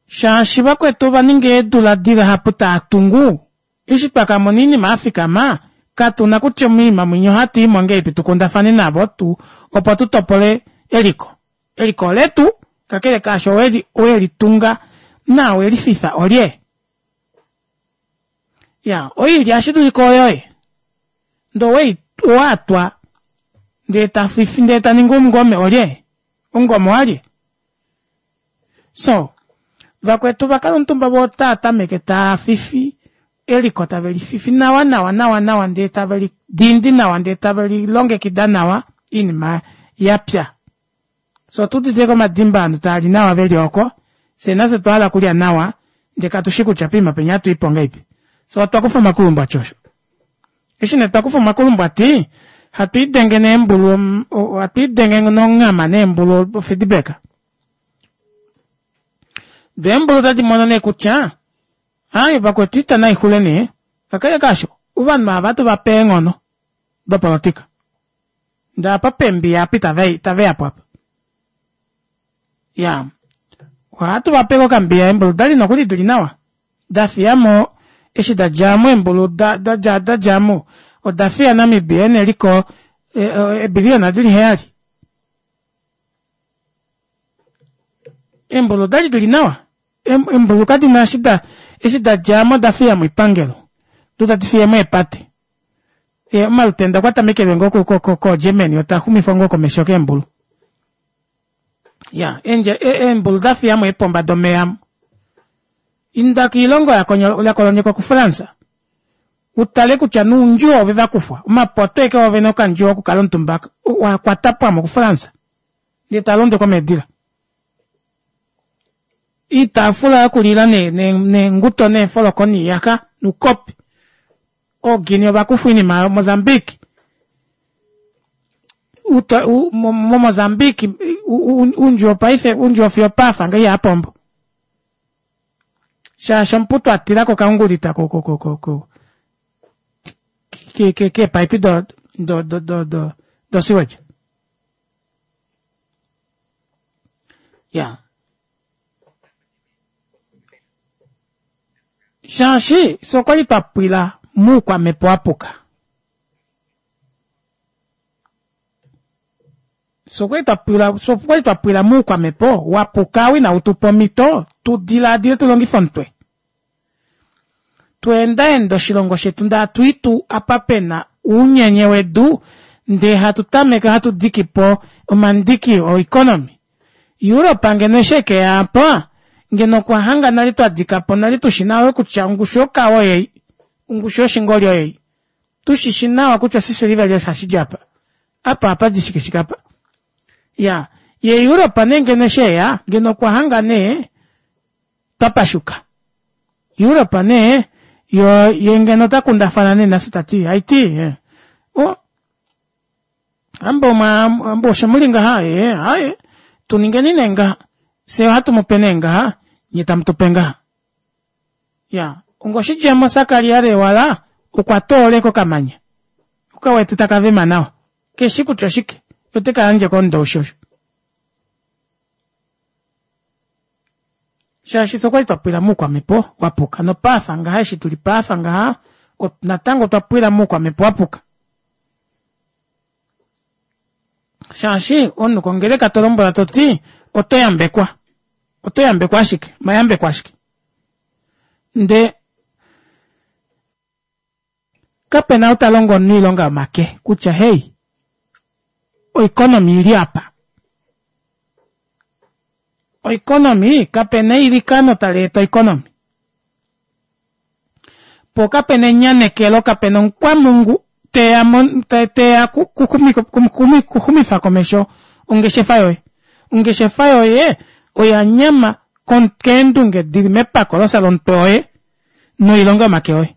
Shaashi vakwetu ova ninga eedula dihapu taa tungu, Eshi twa ka mona oinima ya fikama, katu na kutya omoinima mwinya ohatu i mo ngahelipi tu kundafane navo tu opo tu topole eliko. Eliko oletu, kakele kaasho owe li tunga na we li fifa olye? Ya, oilya ohashi dulika oyoye. Ndee owei, owatwa ndee ta fifi ndee ta ningi omungome olye? Omungome owalye? So, vakwetu vakala omutumba voo otaa tameke taa fifi eliko tave lififi nawa nawa nawa nawa ndee tave lidindi nawa ndee tave lilongekida nawa oinima yapya. Fyee otuudite ashike omadimba ovanhu taali nawa veli oko fyee nafye otwa hala okulya nawa ndee katushi kutya poima penya ohatuipo ngahelipi. Fyee otwa kufa omakulumbwati osho. Eshi nee twakufa omakulumbwati hatu lidenge neembulu hatu lidenge nonghama neembulu ofeedback. Doo eembulu otadi mono nee kutya aaye vakwetu oita naixule nee, kakele kaasho ovanhu ava ohatu vape eenghono dopolotika. Ndee apa pembiya apa itaveyapo apa. Iyaa ohatu vape okambiya eembulu odali nokuli dili nawa dafiyamo eshi dadjamo eembulu dadjamo odafiya Namibia ena eliko eebiliyona dili heyali. Eembulu odali dili nawa eembulu kadina eshi da eshi dadjamo odafiyamo oipangelo doo tadi fiyemo eepate. Omalutenda okwa tamekele ngoo ko Germany otaxumifwa ngoo komesho keembulu. Ya eembulu dafiyamo eepomba domeva inda koilongo yakolonyekwa kuFrance utale kutya noundjuwo ove vakufwa omapoto ashike vovene okandjuwo okukala omutumba wakwatapwamo kuFrance ndee talondekwa meedila. Oitaafula yokulila neenguto neefoloko noiyaxa noukopi ooGuinea ovakufwa oinima aayo Mozambique moMozambique oundjuwo paife oundjuwo fiyo opaafa ngaha ihapombo shaashi omuputu atilako okaungulita keepaipi do sewage. Ya shaashi fye okwali twa pwila muukwamhepo wapuka. Fye okwali twa pwila, fye okwali twa pwila muukwamhepo wapuka ou inau tu pa omhito tu dilaadile tu longife omutwe. Tweendaenda oshilongo shetu ndee hatu i tuu apa pena uunyenye wedu ndee hatu tameke hatu diki po omandiki oeconomy. Europe ngeno eshi ekeya apa ngeno okwa hanga nale twa dika po nale tushi nawa kutya ongushu yokawe oyei, ongushu yoshingoli oyei. Tushishi nawa kutya oshisiliveli osho hashi di apa, apa ohapa di shike shike apa. Iyaa, ye Europe nee ngeno eshi eya ngeno okwa hanga nee twa pashuka. Europe nee yo ye ngeno ota kundafana nee nafye tati haiti o ambo mwa ambo osho muli ngaha ee aye tuningeni nee ngaha fye ohatu mu pe nee ngaha nye tamu tu pe ngaha. Ya ongoshidjemo Sakaria Lewala okwa tooleka okamanya okawete taka vema nawa keshi kutya oshike ote ka yandje komundowishi osho. Shaashi fye okwali twa pwila muukwamhepo wa puka nopaafa ngaha eshi tuli paafa ngaha natango otwa pwila muukwamhepo wa puka. Shaashi omunhu kongeleka to lombwela to ti oto yambekwa. Oto yambekwa ashike, mayambeko ashike. Nde kape na ou ta longo omunhu oilonga yomake kutya hey, oeconomy ili apa. Oeconomy kape na eilikano tali eta oeconomy. Po kape na enyanekelo, kape na omukwamungu teya teya kuxumifa komesho ongeshefa yoye. Ongeshefa yoye oya nyama keendunge dili mepako losalomutwe woye noilonga yomake oye.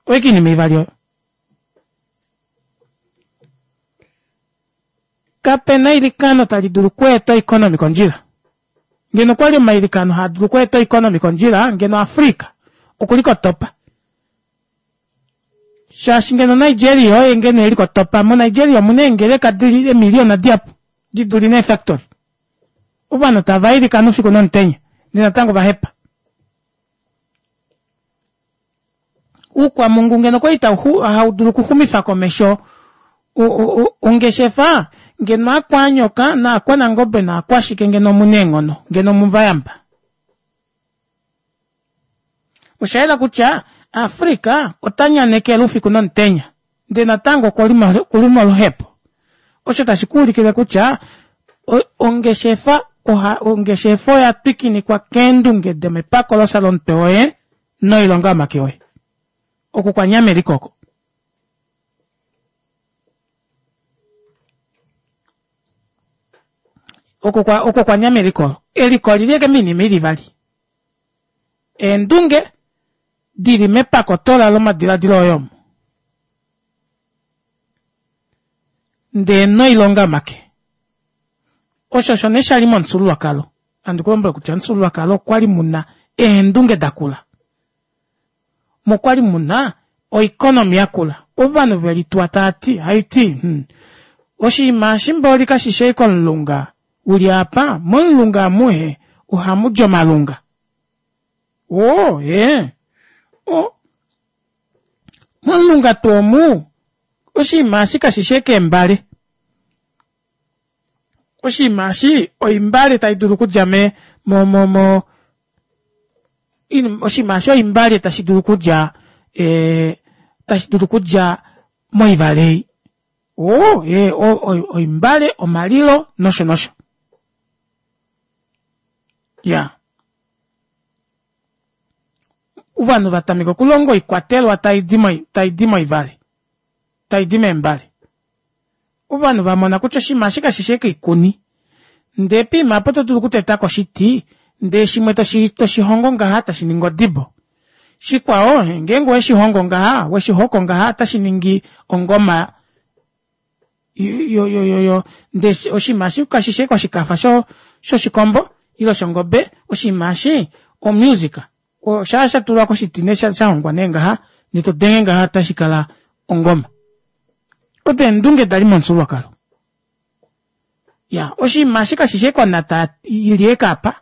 Oike oinima ivali oyo. Kape na eilikano tali dulu okweeta oeconomy kondjila. Ngeno okwali omailikano haa dulu okweeta oeconomy kondjila, ngeno Africa okuli kotopa. Shaashi ngeno Nigeria oye ngeno eli kotopa, moNigeria omuna eengeleka dili eemiliona dihapu di duli neefactory. Ovanhu tava ilikana oufiku nomutenya, ndee natango va hepa. Uukwamungu ngeno okwali hau dulu okuxumifa komesho ongeshefa, ngeno aakwanyoka naakwanangobe naakwashike ngeno omuna eenghono, ngeno omuvayamba. Osha yela kutya Africa ota nyanekele oufiku nomutenya ndee natango okuli moluhepo. Osho tashi ku ulikile kutya ongeshefa oha ongeshefa oya twikinikwa keendunge domepakolosa lomutwe woye noilonga yomake oye. Oku kwa nyama eliko oko. Oko kwa oko kwa nyama eliko. Eliko olili eke miinima ili ivali. Eendunge dili mepakotola lomadiladilo oye omo. Ndee noilonga yomake. Osho osho nee shali momufyuululwakalo. Handi ku lombwele kutya omufyuululwakalo okwali muna eendunge dakula. Mokwali muna oikonomi yakula. Ovanhu ve lituwa tava ti, haiti, hmm, oshinima eshi mboli kashi shi ashike omulunga uli apa, momulunga amuhe ohamu di omalunga. Oo, ee. O, momulunga tuu omu, oshinima eshi kashi shi ashike eembale. Oshinima eshi oimbale tai dulu okudja me mo mo mo oshinima eshi oimbale tashi dulu okudja eh, tashi dulu okudja moivale ei. Oo, ee, oimbale, omalilo nosho nosho. Ya. Ovanhu va tameka okulonga oikwatelwa tai di tai di moivale. Tai di meembale. Ovanhu va mona kutya oshinima eshi kashi shi ashike oikuni. Ndee poima apa oto dulu okuteta ko oshiti ndee shimwe toshi toshi hongo ngaha tashi ningi odibo. Shikwao ngeenge owe shi hongo ngaha, we shi hoko ngaha otashi ningi ongoma yo yo yo yo ndee oshinima eshi kashi shi ashike oshikafa sho shoshikombo ile shongobe, oshinima eshi omusic. Shaa sha tulwa koshiti ne sha hongwa nee ngaha ndee to denge ngaha otashi kala ongoma. Odo eendunge dali momufyuululwakalo. Ya, oshinima eshi kashi shi ashike onata ili ashike apa,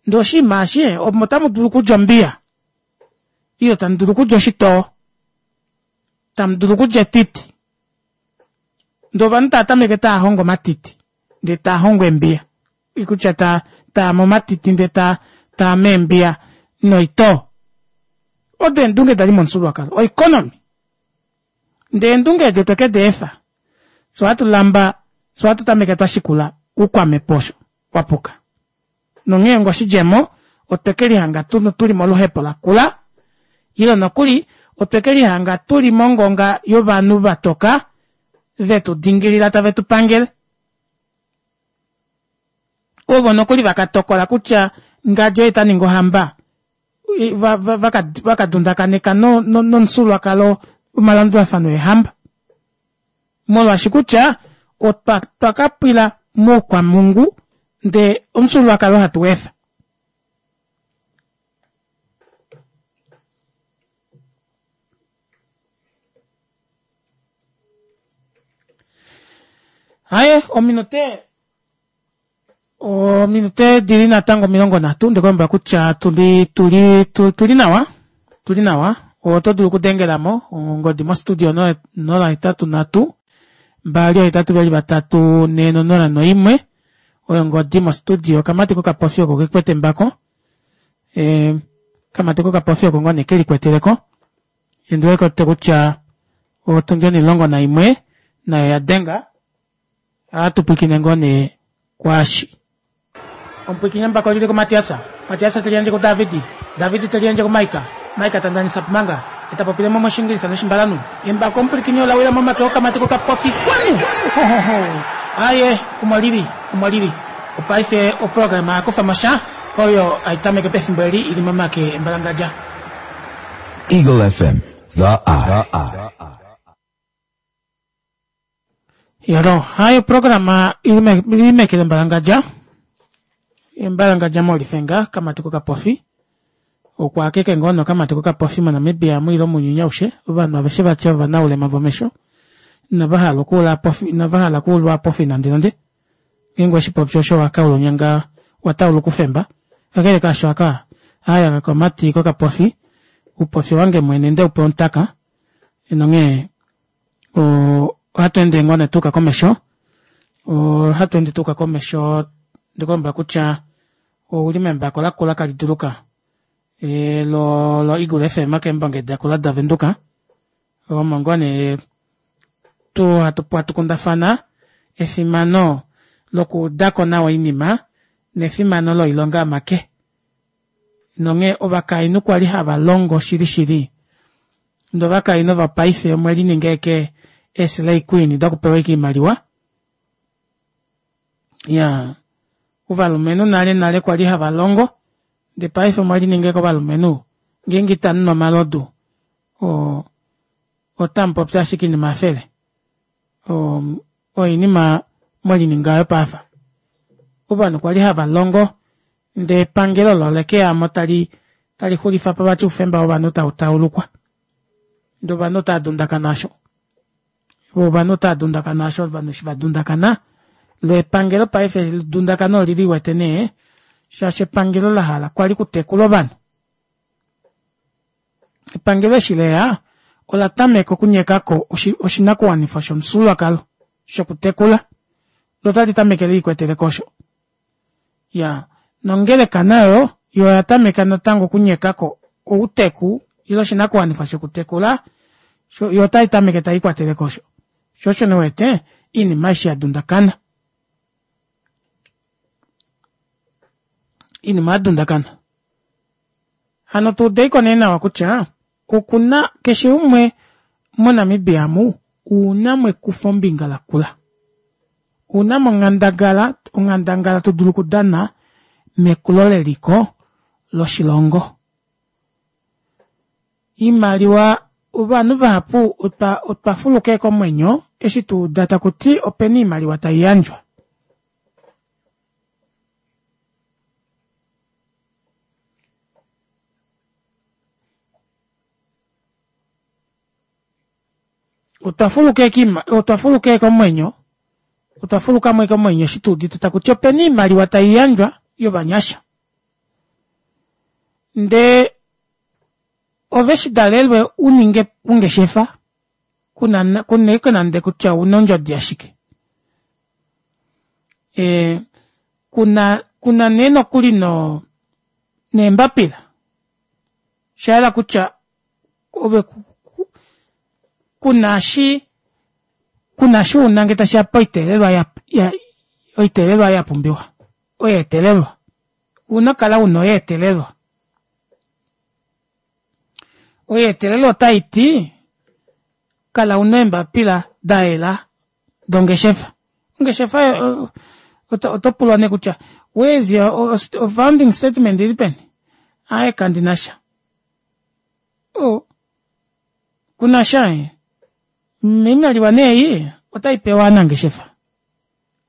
ndee oshinima eshi omo otamu dulu okudja ombiya ile tamu dulu okudja oshitoo, tamu dulu okudja etiti. Ndee ovanhu tava tameke tava hongo omatiti ndee tava hongo eembiya. Kutya ta taa momatiti ndee ta taa meembiya noitoo. Odo eendunge dali momufyuululwakalo, oeconomy. Ndee eendunge edi otwe ke di efa. Fye ohatu lamba, fye ohatu tameke twa shikula oukwamhepo osho wa puka. Nonghee onga oshidjemo, otwe ke lihanga tu, tu li moluhepo lakula, ile nokuli otwe ke lihanga tu li mongonga yovanhu va toka ve tu dingilila tave tu pangele. Ovo nokuli va ka tokola kutya ngadi oye ta ningi ohamba, va, va, va, ka, va ka dundakaneka no, no, nomufyuululwakalo omalandulafano eehamba. Molwaashi kutya otwa, twa ka pwila moukwamhungu ndee omufyuululwakalo hatu u efa. Haye, ominute ominute dili natango 30 ndikulombwela kutya tuli tuli tuli nawa tuli nawa oto dulu okudengela mo ongodi mostudio 083 282 401 oyo ongodi mostudio okamati kokapofi oko kekwete embako e, kamati kokapofi oko ngoo nee kelikweteleko Ndi wete kutya otundi 11 nayo ya denga. Ohatu pwilikine ngoo nee kwaashi. Omupwilikini embako oli li kuMatias. Matias te liyandje kuDavid. David te liyandje kuMaika. Maika ta ndanisa pumanga. Ye ta popile mo mOshiingilisa nOshimbalanhu. Embako omupwilikini ola wila momake okamati kokapofi. Kwanu! Hohoho! Aaye, omo li li. Omo li li. Opaife oprograma ya kufa mo sha oyo hai tameke pefimbo eli i li momake embalangadja. Eagle FM, the eye. Yalo, hayo programa ili meke lembalangadja. Embalangadja molifenga kamati kokapofi. Okwa akeke ngoo nokamati kokapofi moNamibia mu ile omunyuni aushe. Ovanhu aveshe vatya ovanaulema vomesho. Inava hala okuula pofi, inava hala okuulwa pofi nande nande. Ngeenge oweshi popi osho wa kaula onyanga wa taula okufemba. Kakele kaasho aka aya kakomati kokapofi, oupofi owange mwene nde upe omutaka. Nonghee ohatu ende ngoo nee tuuka komesho. Ohatu ende tuuka komesho ndikulombwela kutya ouli membako lakula kali duluka. Lo lo Eagle FM keembonge dakula daVenduka. Omo ngoo nee tu hatu hatu kundafana efimano lokuudako nawa oinima nefimano loilonga yomake. Nonghee ovakainhu kwali hava longo shili shili. Ndee ovakainhu vopaife omwe lininga eke eeslay queen dokupewa ike oimaliwa. Ya ovalumenhu nale nale kwali hava longo ndee paife omwe lininga eke ovalumenhu ngeenge itamu nu omalodu o otamu popi ashike oinima yafele. Oinima mwelininga yopaafa. Ovanhu kwali hava longo ndee epangelo olo olekeyamo tali tali xulifa po vati oufemba wovanhu tau taulukwa. Ndee ovanhu otava dundakana osho. Ovanhu otava dundakana osho ovanhu eshi va dundakana lo epangelo paife edundakano oli liwete nee shaashi epangelo la hala kwali kutekula ovanhu. Epangelo eshi leya ola tameka okunyeka ko oshinakuwanifwa shomufyuululwakalo shokutekula lo otali tameke liikwetele ko osho. Ya nongeleka nayo yo oya tameka natango okunyeka ko outeku ile oshinakuwanifwa shokutekula yo otai tameke tai kwatele ko osho. Sho osho nee wete oinima aishe ya dundakana. Oinima ya dundakana. Hano tu udeiko nee nawa kutya okuna keshe umwe moNamibia amu una mo ekufombinga lakula. Una mo onghandangala, onghandangala to dulu okudana mekulo leliko loshilongo. Iimaliwa ovanhu vahapu otwa otwa fuluka komwenyo eshi tu uda taku ti opena iimaliwa tai yandjwa. Otwa fuluka otwa fuluka komwenyo otwa fuluka mo komwenyo eshi tu udite taku ti opena iimaliwa tai yandjwa yovanyasha. Ndee ove shi dalelwe u ninge ongeshefa kuna kuna nande kutya ouna ondjodi yashike. E, kuna kuna nee nokuli no neembapila sha yela kutya ove kuna shi kuna shi una nge tashiya poiteelelwa ya, ya oiteelelwa ya pumbiwa oyeetelelwa una kala una oyeetelelwa oyeetelelwa otai ti kala una eembapila da yela dongeshefa ongeshefa oto pulwa nee kutya where is your founding statement ili peni aye kandi na sha oh kuna sha eh oimaliwa nee ei otai pewa ovanangeshefa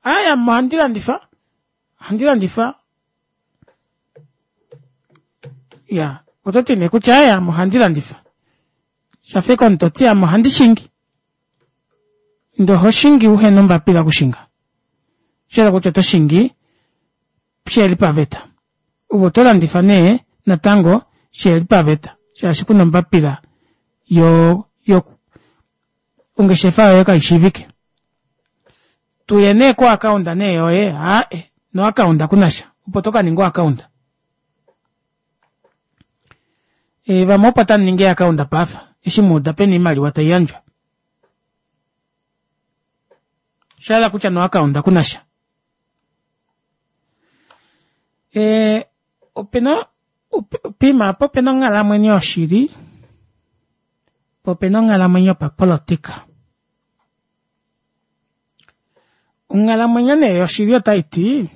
aye ame ohandi landifa ohandi landifa ya oto ti nee kutya aye ame ohandi landifa shafa eke omunhu toti ame ohandi shingi ndee oho shingi uhena ombapila okushinga shayela kutya oto shingi sheheli paveta ove oto landifa nee natango sheheli paveta shaashi kuna ombapila yo yo ongeshefa yoye kaishiivike tuye nee ko account nee yoye aae no account kunasha opo to ka ninga o account e, vamwe opo tamu ningi eakaunda paafa eshi muuda pena oimaliwa tai yandjwa sha kutya noakaunda kunasha e, opena poima apa opena onghalamwenyo yoshili po opena onghalamwenyo yopapolotika onghalamwenyo nee yoshili otai ti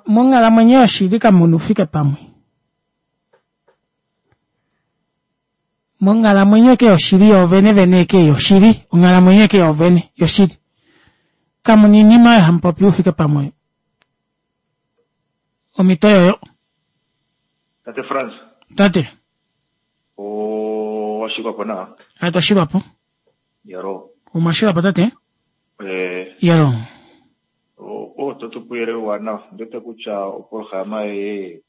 monghalamwenyo yoshili kamuna oufike pamwe monghalamwenyo eke yoshili yoovene vene eke yoshili onghalamwenyo eke yoovene yoshili kamuna oinima oyo hamupopi oufike pamwe omhito yoyo Tate Frans. Tate. Owashilwapo nawa? A twashilwapo. Yalo. Omwashilwapo tate? Eh. Yalo. O to tu puyele uwanawa. Ndiwete kutya oprograma yoye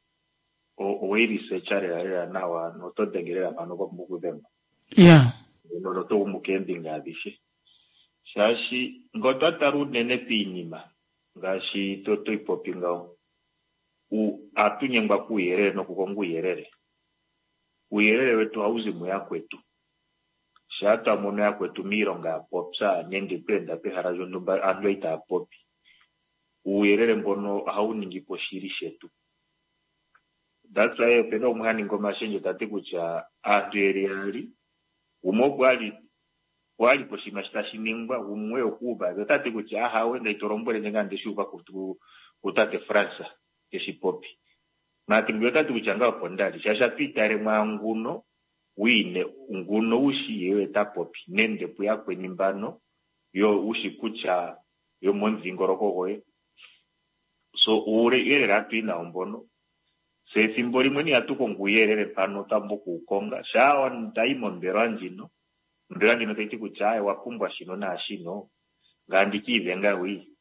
owei researcha lela lela nawa noto denge lela mpano pwa pumbwa okudhengwa. Ya. Noto gumu keembinga adhishe. Shaashi ngele otwa tala unene piinima ngaashi to i popi ngawo. Ohatu nyengwa kuuyelele nokukonga uuyelele. Uuyelele wetu ohawu zi muyakwetu. Shaa twa mono yakwetu miilonga ya popya nenge twa enda pehala lyontumba aantu itaya popi, uuyelele mbono ohawu ningi po oshili shetu. That's why opena gumwe ha ningi omashendjo ta ti kutya aantu yeli yaali, gumwe opo a li opo a li poshinima shi tashi ningwa, gumwe okuuva. Ota ti kutya ahawe, ngaye to lombwele ndje ngaa ndeshi uva kutate Frans teshi popi. Maati ngwiya ota ti kutya ngaye opo nda li, shaashi atu itale mwaanguno wiine nguno wushi ye oye ta popi nende puyakweni mbano yo wushi kutya yomomudhingoloko goye. So uuyelele atu yi nawo mbono. Se ethimbo limwe ihatu kongo uuyelele mpano twa pumbwa okuwu konga. Shaa ndayi mombelewa ndjino, ombelewa ndjino tayi ti kutya aye owa pumbwa shino naashino, ngaye andi kiidhenga wi.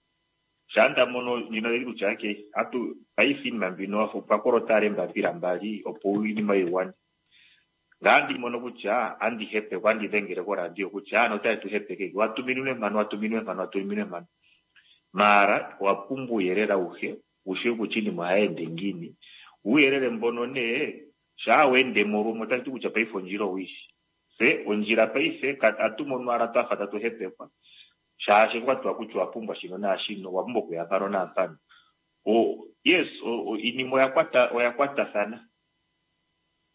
Shaa nda mono ndjino tayi ti kutya okay, atu paife iinima mbino opwa kolota owala eembapila mbali opo iinima yi gwane. Ngaye andi mono kutya andi hepekwa, andi dhengele koradio kutya aantu otaye tu hepeke, wa tuminwe mpano, wa tuminwe mpano, wa tuminwe mpano. Maara owa pumbwa uuyelele awuhe, wu shiwe kutya iinima ohayi ende ngiini. Uuyelele mbono nee, shaa we ende mo lumwe otashi ti kutya paife ondjila owu yi shi. Tse ondjila paife atu mono owala twafa tatu hepekwa, shaashi okwa tiwa kutya owa pumbwa shino naashino, owa pumbwa okuya mpano naampano. Yes, iinima oya kwata oya kwatathana.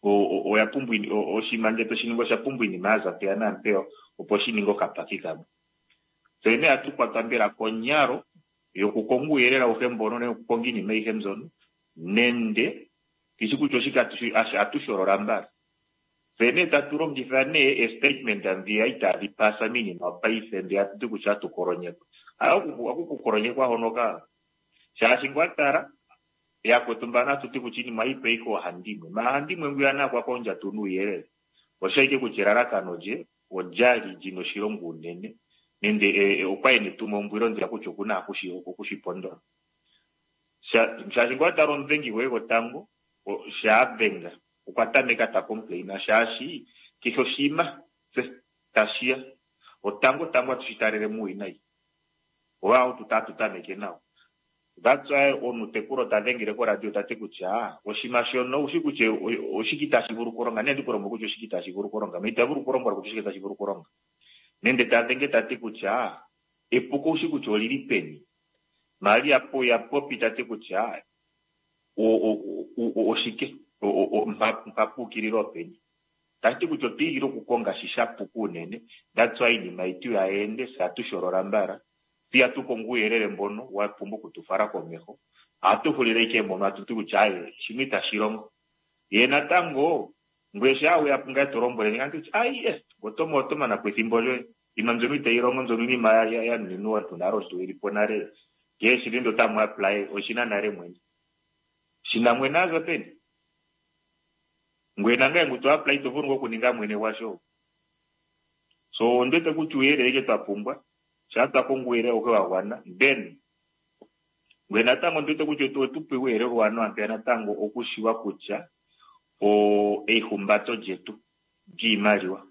Oya pumbwa oshinima ngele toshi ningi osha pumbwa iinima ya za mpeya naampeya opo shi ninge okapaki kamwe. Tse nee ohatu kwatwa mbela konyalo yokukonga uuyelele awuhe mbono nenge okukonga iinima ayihe mbyono nende kishi kutya oshike atu sholola mbala. Tse nee tatu longitha nee eestatement ndhiya itaadhi pasa miinima yopaife ndhi hatu ti kutya atu kolonyekwa. Haku kukolonyekwa hono ka shaashi ngwa tala yakwetu mbano hatu ti kutya iinima ohayi pewa ike oohandimwe. Maala handimwe ngwiya naye okwa kondja tuu nuuyelele. Osha ike kutya elalakano lye olyali lyina oshilonga unene nende okwa ena etumombwilo ndiya kutya okuna okushi pondola. Shaashi ngwa tala omudhengi goye gotango sha dhenga okwa tameka ta complain shaashi kehe oshinima tse tashiya otango tango atushi talele muuwinayi. Owa tatu tameke nawo. That's why omutekulu ta dhengele koradio ta ti kutya oshinima shono owushi kutya oshike itashi vulu okulonga, nenge ndi ku lombwele kutya oshike itashi vulu okulonga, ma ita vulu okulombwela kutya oshike tashi vulu okulonga. Nende ta dhenge ta ti kutya epuko owushi kutya olili peni. Maria ya popi ta ti kutya oshike mpa puukilila openi. Tashi ti kutya otwa igilila okukonga shi sha puka unene. That's why iinima yetu ihayi ende, se atu sholola mbala. Tse ihatu kongo uuyelele mbono wa pumbwa okutu fala komeho. Ohatu hulile ike mpono atu ti kutya aye shimwe itashi longo. Ye natango ngweye shaa weya pungaye to lombwele ndje andi kutya aye oto oto mana po ethimbo lyoye. Iinima mbyono itayi longo mbyono iinima ya nuninwa omuntu nale omuntu eli po nale. Kehe shili ndo tamu apply oshina nale mwene. Shina mwene aza peni? Ngweye nangaye ngu to apply ito vulu ngaa okuninga mwene gwasho. So ondi wete kutya uuyelele ike twa pumbwa. Shaa twa kongo uuyelele awuhe wa gwana then ngweye natango ondi wete kutya otu pe uuyelele uuwanawa mpeya natango okushiwa kutya eihumbato lyetu lyiimaliwa.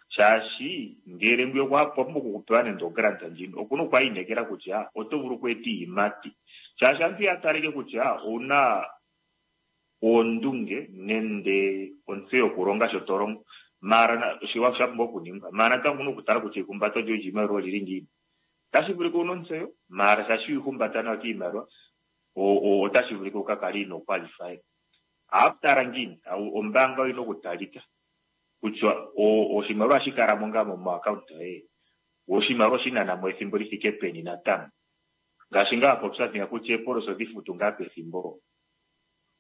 Shaashi ngele ngwiya okwa pumbwa okukupewa nande ogrant ndjino okuna okwaayinekela kutya oto vulu okweeta iiyimati. Shaashi aantu ya taleke kutya owuna oondunge nende ontseyo yokulonga sho to longo. Maara oshiwa sha pumbwa okuningwa. Maara natango okuna okutala kutya eihumbato lyoye lyiimaliwa olili ngiini. Otashi vulika wuna ontseyo, maara shaashi ihumbata nawa kiimaliwa otashi vulika wuka kale inoo qualify. Ohapu tala ngiini? Ombaanga oyina okutalika kutya oshimaliwa ohashi kala mo ngaa mo account yoye. Oshimaliwa oshi nana mo ethimbo li thike peni natango. Ngaashi ngaa wapopya mpeya kutya eepolosi odhi futu ngaa pethimbo.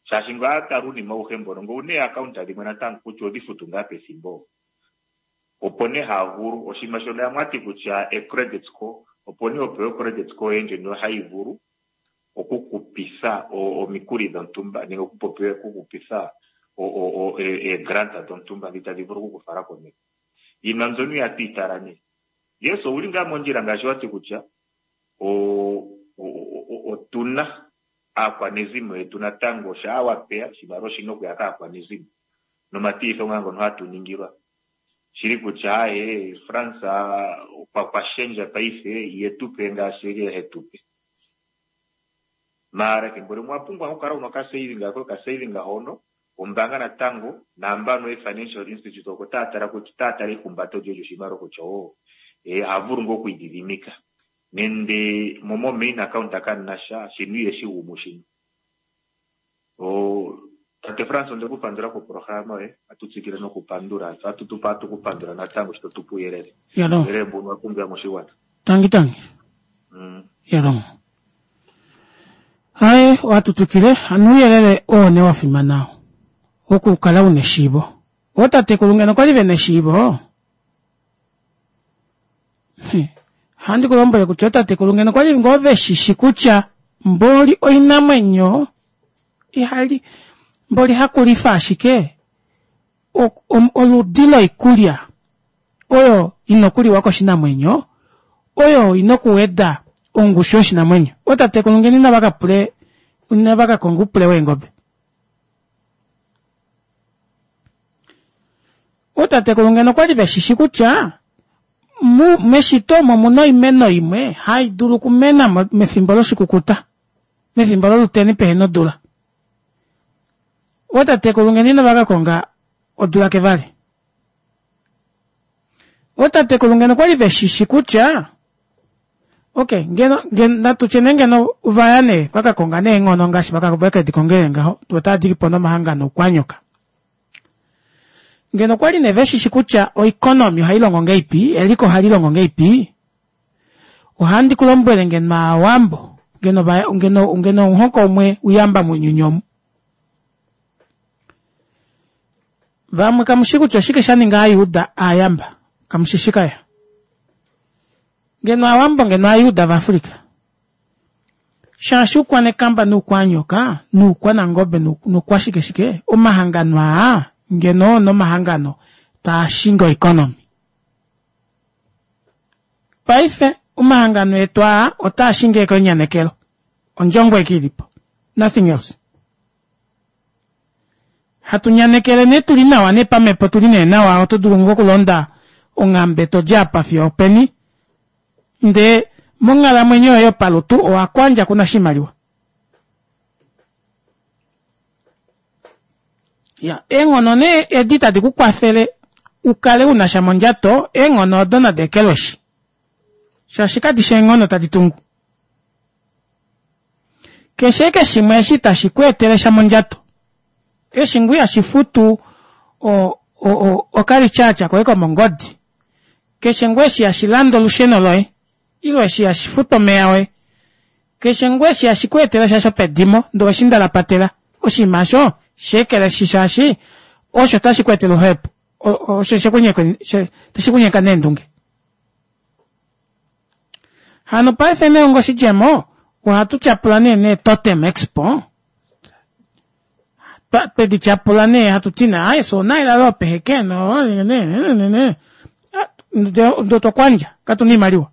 Shaashi ngaa tala uunima awuhe mbono ngele owuna ee-account dhimwe natango kutya odhi futu ngaa pethimbo. Opo nee haa vulu oshinima shono yamwe ati kutya e-credit score opo nee opewa o-credit score yoye ndjono hayi vulu okukupitha omikuli dhontumba nenge okukupitha ee-grant dhontumba dhi tadhi vulu okukufala komeho. Iinima mbyono ihatu yi tala nee. Yes, owuli ngaa mondjila ngaashi wati kutya otuna aakwanezimo yetu natango shaa wapeya oshimaliwa oshina okuya kaakwanezimo nomatilitho ngaa ngono hatu ningilwa. Shili kutya aye France okwa shendja paife ihetu pe ngaashi eli hetu pe. Maara ethimbo limwe owa pumbwa okukala una okasaving koye okasaving hono ombaanga natango naambano e-financial institute oko taya tala kutya otaya tala eihumbato lyoye lyoshimaliwa kutya o oha vulu ngoo okwiidhidhimika nende mo mo main account kamuna sha shino iheshi gumu shino. O tate Frans onde ku pandula koprograma yoye atu tsikile nokupandula tse atu tu atu ku pandula natango sho to tu pe uuyelele. Yalo. Uuyelele mbuno owa pumbiwa moshigwana. Tangi tangi. Mm. Yalo. Aye, ohatu twikile hano ouyelele oo nee wa fimana oo okukala una eshiivo. Ootatekulu ngeno okwali vena eshiivo, ohandi ku lombwele kutya ootatekulu ngeno okwali ngoo veshishi kutya mboli oinamwenyo ihali mboli hakulifa ashike oludi loikulya oyo ina okuliwa koshinamwenyo oyo ina okuweda ongushu yoshinamwenyo. Ootatekulu ngeno inava ka pule inava ka konga oupule weengobe. Ootatekulu ngeno okwali veshishi kutya meshito omo omuna oimeno imwe hai dulu okumena mefimbo loshikukuta, mefimbo loluteni pehena odula. Ootatekulu ngeno inava ka konga odula kevale. Ootatekulu ngeno okwali veshishi kutya okay ngeno ngeno natu tye nee ngeno vaya nee vaka konga neenghono ngaashi vaka veke di kongele ngaho otava diki po nomahangano oukwanyoka. Ngeno okwali nee veshishi kutya oeconomy ohai longo ngeipi, eliko ohali longo ngeipi, ohandi ku lombwele ngeno aawambo ngeno va ngeno ngeno omuhoko umwe uyamba mounyuni omu. Vamwe kamu shi kutya oshike sha ninga Aayuda aayamba. Kamu shi shi kaya. Ngeno Aawambo ngeno Aayuda vaAfrika. Shaashi uukwanekamba nuukwanyoka nuukwanangobe nuukwashike shike, omahangano aa ngeno oo nomahangano taa shingi oeconomy. Paife omahangano etu aa otaa shingi eke onyanekelo. Ondjongo eke ilipo. Nothing else. Hatu nyanekele nee tuli nawa nee pamhepo tuli nee nawa oto dulu ngoo okulonda onghambe to di apa fiyo openi ndee monghalamwenyo yoye yopalutu owa kwandja kuna oshimaliwa. Ya, eenghono nee edi tadi ku kwafele u kale una sha mondjato, eenghono odo nadi ekelweshi. Shaashi kadi shi eenghono tadi tungu. Keshe eke shimwe eshi tashi ku etele sha mondjato, eshi ngoo ihashi futu okalityatya koye komongodi, keshe ngoo eshi hashi lande olusheno loye, ile eshi hashi futu omeya oye, keshe ngoo eshi hashi ku etele sha shopedimo ndee oweshi ndalapatela, oshinima osho shi ekeleshi shaashi osho tashi ku etele oluhepo, osho tashi ku nyeka neendunge. Hano paife nee onga oshidjemo ohatu tyapula nee nee Totem Expo twedi tyapula nee hatu ti nee aye fye onaila loo peheke no ne ndee otwa kwandja katuna oimaliwa.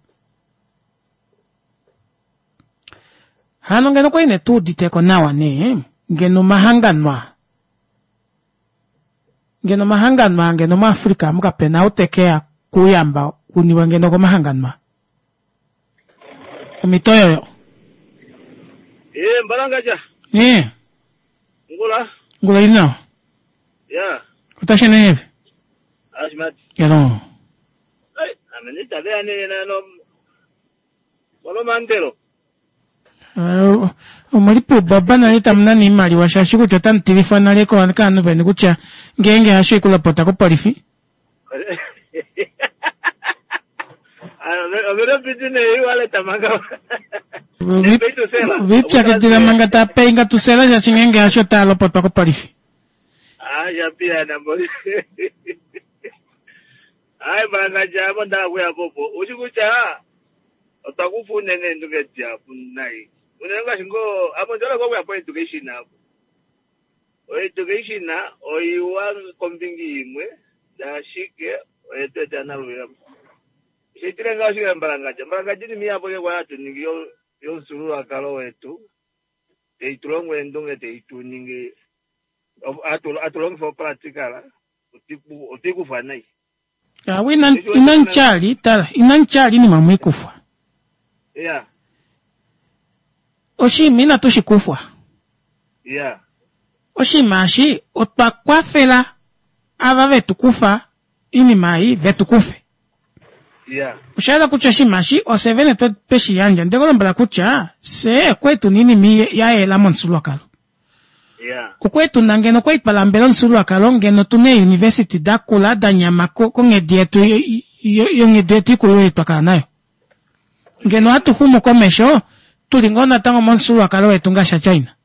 Hano ngeno okwali nee tuuditeko nawa nee ngeno omahangano aa Ngeno omahangano aa ngeno muAfrica amu kape na ou te ke ya kuuyamba u niwe ngeno komahangano aa. Omhito oyoyo. Ee, Mbalangadja. Ee. Ngula. Ngula ili nawa. Ya. Otashi ende ngahelipi? Ashimati. Yalo. Ai, ame nitave ya nena no molomandelo. Eh, omuli puubaba nale tamu nana iimaliwa shaashi kutya otamu tilifwa nale kaanhu veni kutya ngeenge hasho ikulopota kopolifi. Viipyakidila manga taa peinga tusela shaashi ngeenge hasho otaa lopotwa kopolifi. Ai manga djamo ndakuya popo. Ushi kutya Otwa kufa unene eendunge dihapu nai. Unene ngaashi ngoo ame ondi hole ngoo okuya poeducation apo. Oeducation oiwa kombinga imwe ndee ashike oye tu etela naluhepo. Osha etele ngaho ashike mbalangadja. Mbalangadja oinima ihapu ashike kwali hatu ningi yomufyuululwakalo wetu tai tu longo eendunge tai tu ningi hatu longifa opractical otwe i kufwa nai. Awe ina ina nchali tala ina nchali ni mamwikufwa. Yeah. Oshinima inatu shi kufwa. Ya. Oshinima eshi otwa kwafela ava vetu kufa oinima ei vetu kufe. Ya. Osha yela kutya oshinima eshi ofye vene twe shi yandja. Nde ku lombwela kutya fye okwali tuna oinima ya yela momufyuululwakalo. Ya. Okwali tuna ngeno okwali twa lambela omufyuululwakalo ngeno tuna eeuniversity da kula da nyama konghedi yetu yonghedi yetu ikulu ei twa kala nayo. Ngeno hatu xumu komesho tuli ngoo natango momufyuululwakalo wetu ngaashi aChina.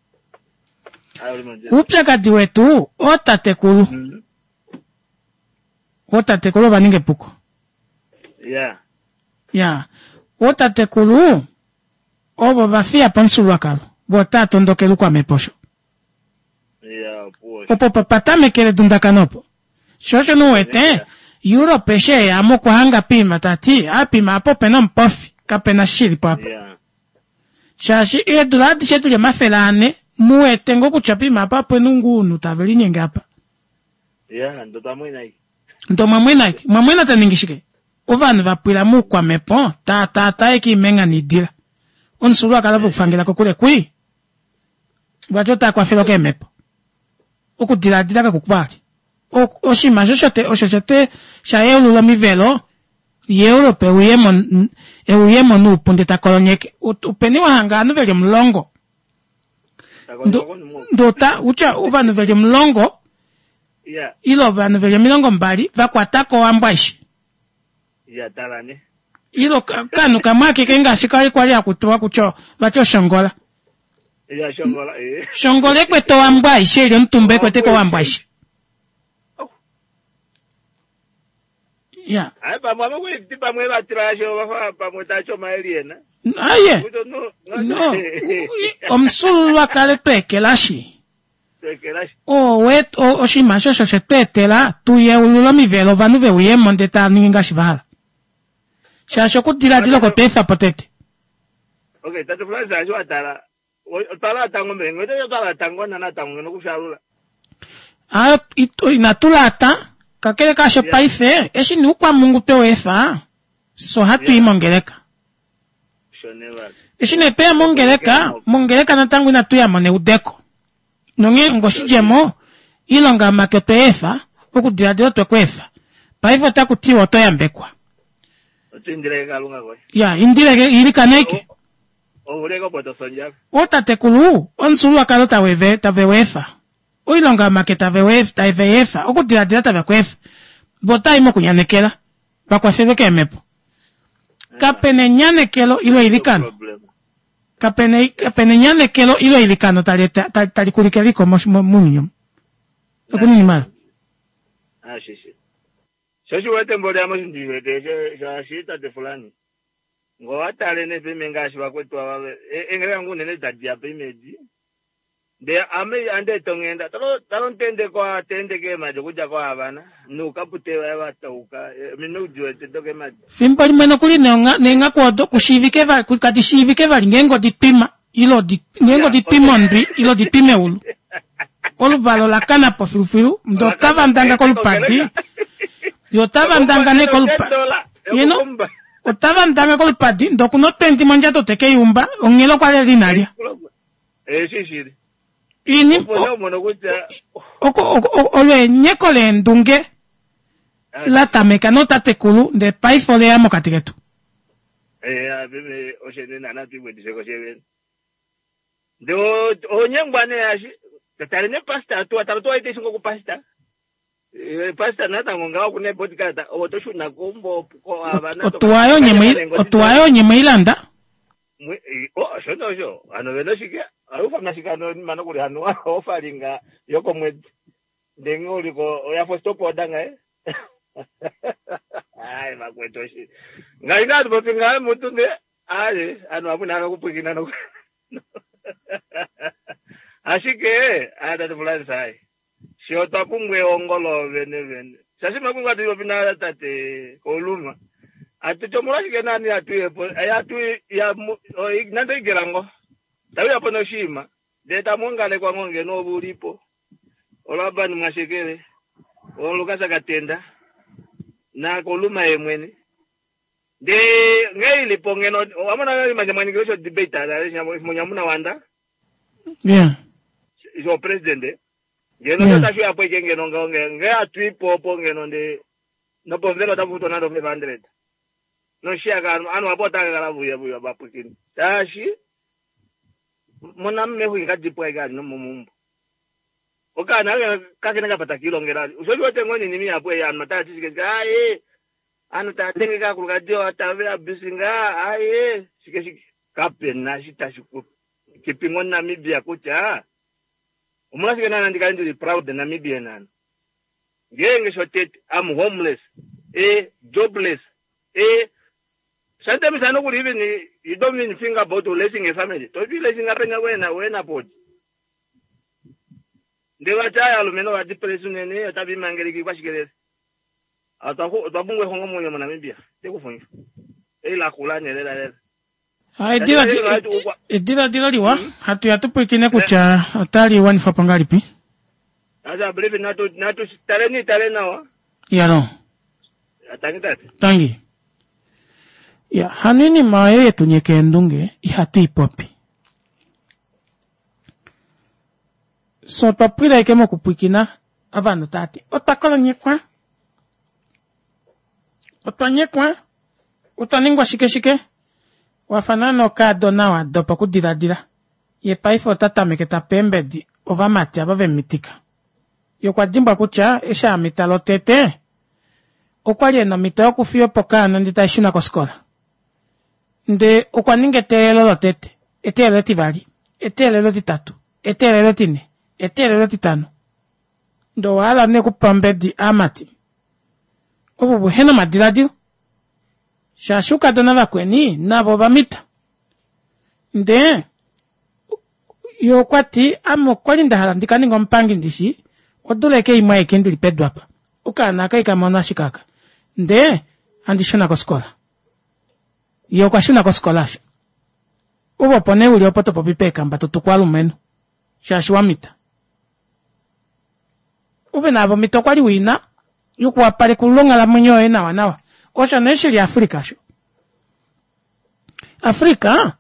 Oupyakadi wetu ootatekulu. Ootatekulu ova ninga epuko. Ya. Ya. Ootatekulu ovo va fiya po omufyuululwakalo, vo otaa tondokele oukwamhepo osho. Ya, opuwo osho. Opo pa tamekele edundakano opo. Sho osho nee u wete, Europe eshi e ya mo okwa hanga piima ta ti, a piima apa ope na omupofi, kape na shi li po apa. Ya. Shaashi eedula adishe di li 400, mu wete ngoo kutya piima apa ope na ounhu tave linyenge apa. Ya, ndo twa mwena ashike. Ndo omwa mwena ashike. Omwa mwena ta ningi shike? Ovanhu va pwila moukwamhepo, taa taataa ashike oimengha noidila. Omufyuululwakalo ve u fangela kokule kwii. Vati otaa kwafelwa keemhepo. Okudilaadila kaku kwali. Oshinima osho osho shotete sha yeulula omivelo yaEurope e uye mo noupu ndee ta kolonyeke. Openi wa hanga ovanhu ve li omulongo? Ndee ota utya ovanhu ve li omulongo ile ovanhu ve li 20 va kwata ko Owambo aishe. Ile okanhu kamwe akeke ngaashi kwali kwali haku tiwa kutya vati oshongola. Shongola ekwete Owambo aishe ili omutumba ekwete ko Owambo aishe. Ya. Aye pamwe ava kweti pamwe vatila yasho vafa pamwe tacho omaeliena. Aye. No. Omufyuululwakalo tweekelashi. Oshinima osho osho she tu etela tu yeulule omivelo ovanhu ve uye mo ndele tava ningi ngaashi va hala. Shaashi okudiladila oko twa efa po tete. Okay, tate Francis eshi wa tala otwa laata ngoo mbela ngeno otwa laata ngoo natango ngeno okufyalula. Aaye inatu laata, kakele kaasho paife eshi nee oukwamungu twe u efa, fye ohatu i mongeleka. Eshi nee tweya mongeleka, mongeleka natango inatu ya mo neudeko. Nonghee ongoshidjemo, oilonga yomake otwe i efa, okudiladila otwe ku efa. Paife otaku tiwa oto yambekwa. Oto indile Kalunga koye. Ya, indile, ilikana aike. Ouleke opo to sondjala. Ootatekulu, omufyuululwakalo tave u efa. Oilonga yomake tave i efa. Okudiladila tave ku efa. Vo otava i mokunyanekela. Va kwafelwe keemhepo. Kape na enyanekelo ile eilikano. Kape na kape na enyanekelo ile eilikano tali eta tali, tali kulike eliko mounyuni omu. Okuninimala. Ashishe. Sho shi wete mboli ame osho ndi wete shaashi tate Fulani. Ngo wa tale ne pime ngaashi vakwetu ava engeleka ngoo unene tadi ya pime edi. Ndee ame ande eta onghenda talo talo ntende ko atende keemadi okudja ko Havana nuukapute vaye va tauka minwe udi wete dokeemadi. Fimbo limwe nokuli neenghaku odo kushiivike vali kadi shiivike vali ngeenge odi twima ile odi ngeenge odi twima ondwi ile odi twima eulu. Oluvala ola kana po filufilu ndee otava ndanga kolupadi ye otava ndanga nee kolupadi yeno otava ndanga kolupadi ndee okuna opendi mondjato teke i umba onghela okwa li ina lya. Eshi shili. Ini Opo nee omono kutya oko olweenyeko leendunge la tameka nootatekulu ndee paife oleya mokati ketu. Eh, apeme oshene nana tuikwedise koshevene. Ndee onyengwa nee ashi tale ne pastor tuwa tala tuwa ite shingo ku pastor. Eh, pastor natango ngaho kune podcast owo to shuna kumbo ko avana Otuwa yo nye otuwa yo nye mweilanda. Osho nosho hano vena oshike aufa nashike hano mana kuli hano ofalinga yokomwedi ndee nghee uliko oya fo stop order ngaye ai vakwetu oshi ngai nga hatu popi ngaye mutu ne aye anu apu nalo kupwikina noku ashike aya tatu Francis ai Fye otwa pumbwa ehongo loovene vene. Shaashi makwingu atu popi na tate Kauluma, atu ti omolwashike naani hatu uye po, hatu ya nande oigela ngoo, tau ya po noshiima, ndele tamu ongalekwa ngoo ngeno ove u li po, oLaban Mwashekele, oLukas Katenda, naKauluma ye mwene. Ndee nghee ili po ngeno owa mona nale manje mwa ningile osho debate nale monyamuna wanda. Yeah. Sho president. Ngeno yeah. tashi uya po ike ngeno ngaho nge nge atu ipo opo ngeno nde nopomuvelo otapu futwa nande 500. Noshiya ka anu apo otaka kala vuya vuya vapwikini. Shaashi mona mehu inga dipwa ike ali nomomumbo. Okaana kakene kapa takiilongela. Osho shi wete ngoo ninimi yapo eyi anu otaya ti shike shike aye. Aantu taya dhenge kaakulukadhi yawo tave ya abuse ngaa aye shike shike. Kape na shi tashi ku keeping on Namibia kutya omolwashike naana ndi kale ndili proud Namibian ano. Ngeenge shotete I'm homeless, eh jobless, eh sometimes ano kuli even you don't even think about raising a family. To be raising up na wena wena podi. Ndele vati aya alumenhu ova depress unene otava imangeleke ikwashikelele. Otwa pumbwa exungomwenyo moNamibia. Te ku fundju. Ei la kula nee lela lela. Ah, ediladilo liwa hmm? hatu ya tu pwilikine kutya otali wanifwa po ngahelipi. Aza believe natu natu taleni tale nawa. Yalo. Tangi tate. Tangi. Ya, hano iinima oyo yetu nyeka eendunge ihatu i popi. So otwa pwila ike mokupwikina ovanhu tava ti otwa kolonyekwa otwa nyekwa otwa ningwa shike shike wafa naana okaadona wa dopa okudiladila ye paife ota tameke ta pe eembedi ovamati ava ve mu mitika ye okwa dimbwa kutya eshi a mita lotete okwa li e na omhito yokufiya po okaana ndee tai shuna kofikola ndee okwa ninga eteelelo lotete eteelelo etivali eteelelo etitatu eteelelo etine eteelelo etitano Ndee owa hala nee okupa ombedi aamati ovo vuhe na omadiladilo shaashi oukadona vakweni navo ova mita. Ndee ye okwa ti ame okwa li nda hala ndi ka ninge omupangi ndishi odula eke imwe aike ndili pedu apa okaana aka ika mono ashike aka ndee handi shuna kofikola. Ye okwa shuna kofikola asho. Ove opo nee uli opo to popi peekamba to tuku alumenhu shaashi wa mita. Ove naave omhito kwa li u i na yokuwapalekulula onghalamwenyo yoye nawanawa. Osho nee shi li Afrika osho. Afrika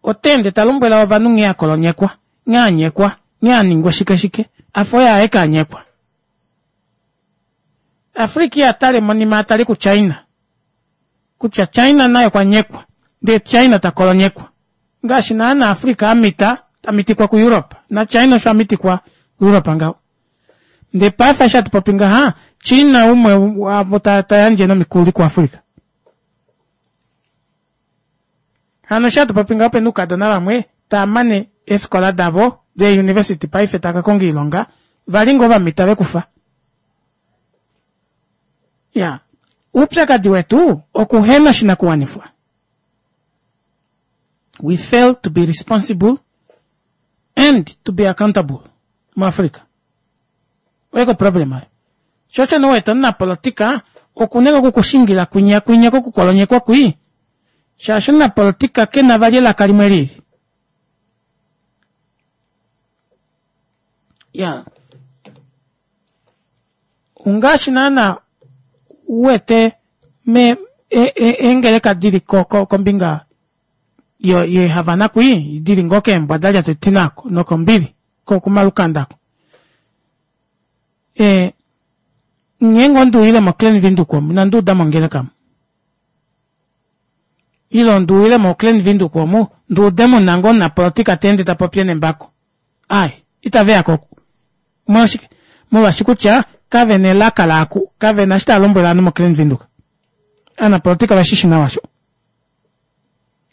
ota ende ta lombwela ovanhu nghee a kolonyekwa, nghee a nyekwa, nghee a ningwa shike shike, a fa oye aeke a nyekwa. Afrika iha tale monima a tale kuChina, kutya China naye okwa nyekwa, ndee China ta kolonyekwa. Ngaashi naana Africa a mita, ta mitikwa kuEurope, naChina osho a mitikwa kuEurope ngaho. Ndee paife eshi hatu popi ngaha, China umwe waavo ta, ta yandje nomikuli kuAfrica. Hano eshi hatu popi ngaho opena oukadona vamwe tava mane eefikola davo deeuniversity paife tava ka konga oilonga, va li ngoo va mita vekufa. Ya, oupyakadi wetu okuhena oshinakuwanifwa. We fail to be responsible and to be accountable muAfrica. Oye ko problem ayo. Sho osho nee wete omunapolotika oku na okukushingila kwinya kwinya kokukolonyekwa kwii shaashi omunapolotika ke na vali elaka limwe lili. Ya. Ongaashi naana u wete me eengeleka di li kombinga yeeHavana kwii, di li ngoo keembwa da lyata etina oko nokombili komalukanda ako. E, ngeenge onde uyile moKlein Windhoek omu, inandi uda mongeleka omu. Ile onde uyile moKlein Windhoek omu, ndi ude mu na ngoo omunapolotika ta ende ta popi e na embako. Ai, itave ya ko. Omolwashike? Molwaashi kutya kave na elaka laaku, kave na eshi tava lombwele ovanhu moKlein Windhoek. Aanapolotika ove shi shi nawa sho.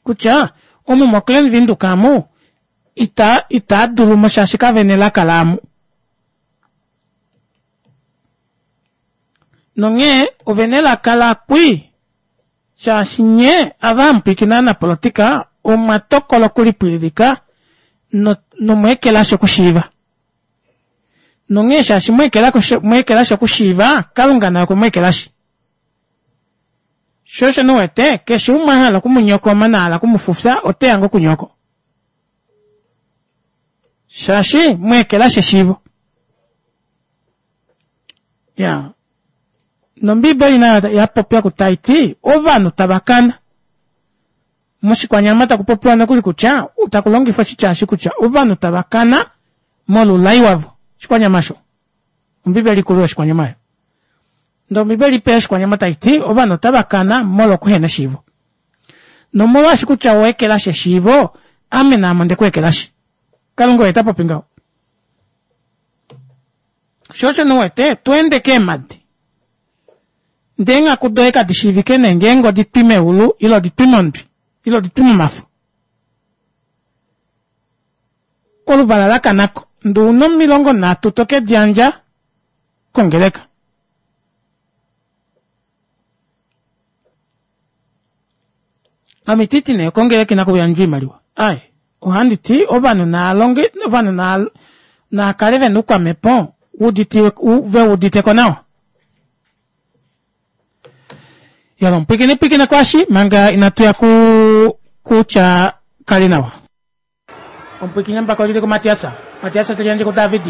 Kutya omu moKlein Windhoek amu ita itaa dulu mo shaashi kave na elaka laamu. Nonghee ove na elaka lakwii Shaashi nye ava hamu pwilikine aanapolotika omwa tokola okulipwililika no, nomwa ekelashi okushiiva. Nonghee shaashi mwa ekelashi okushiiva, Kalunga naye okwe mu ekelashi. Sho osho nuwete, keshe umwe a hala oku mu nyokoma na hala oku mu fufya, ote ya ngoo kunyoko. Shaashi mwa ekelashi eshiivo. Ya. Nombiibeli nayo ya popya ku tai ti ovanhu tava kana. Moshikwanyama taku popiwa nokuli kutya taku longifwa oshitya eshi kutya ovanhu tava kana molulai wavo. Oshikwanyama sho. Ombiibeli ikulu yoshikwanyama oyo. Ndele Ombiibeli ipe yoshikwanyama tai ti ovanhu otava kana molwokuhena eshiivo. Nomolwaashi kutya owa ekelashi eshiivo, ame naame onde ku ekelashi. Kalunga oye ta popi ngaho. Sho osho nee u wete to ende keemhadi ndee eenghaku doye kadi shiivike nee ngeenge odi twi meulu ile odi twi mondwi ile odi twi momafo. Oluvala la kana ko ndee una 30 to ke di yandja kongeleka. Ame ititi nee kongeleka inaku yandjwa oimaliwa aaye ohandi ti ovanhu naalonge ovanhu na naakale vena oukwamhepo uditiwe ve udite ko nawa yalo pwikine pwikine kwashi manga inatu ya ku kutya kali nawa Omupwiikini mbaka oli li kuMatias, Matias te liyandje kuDavid,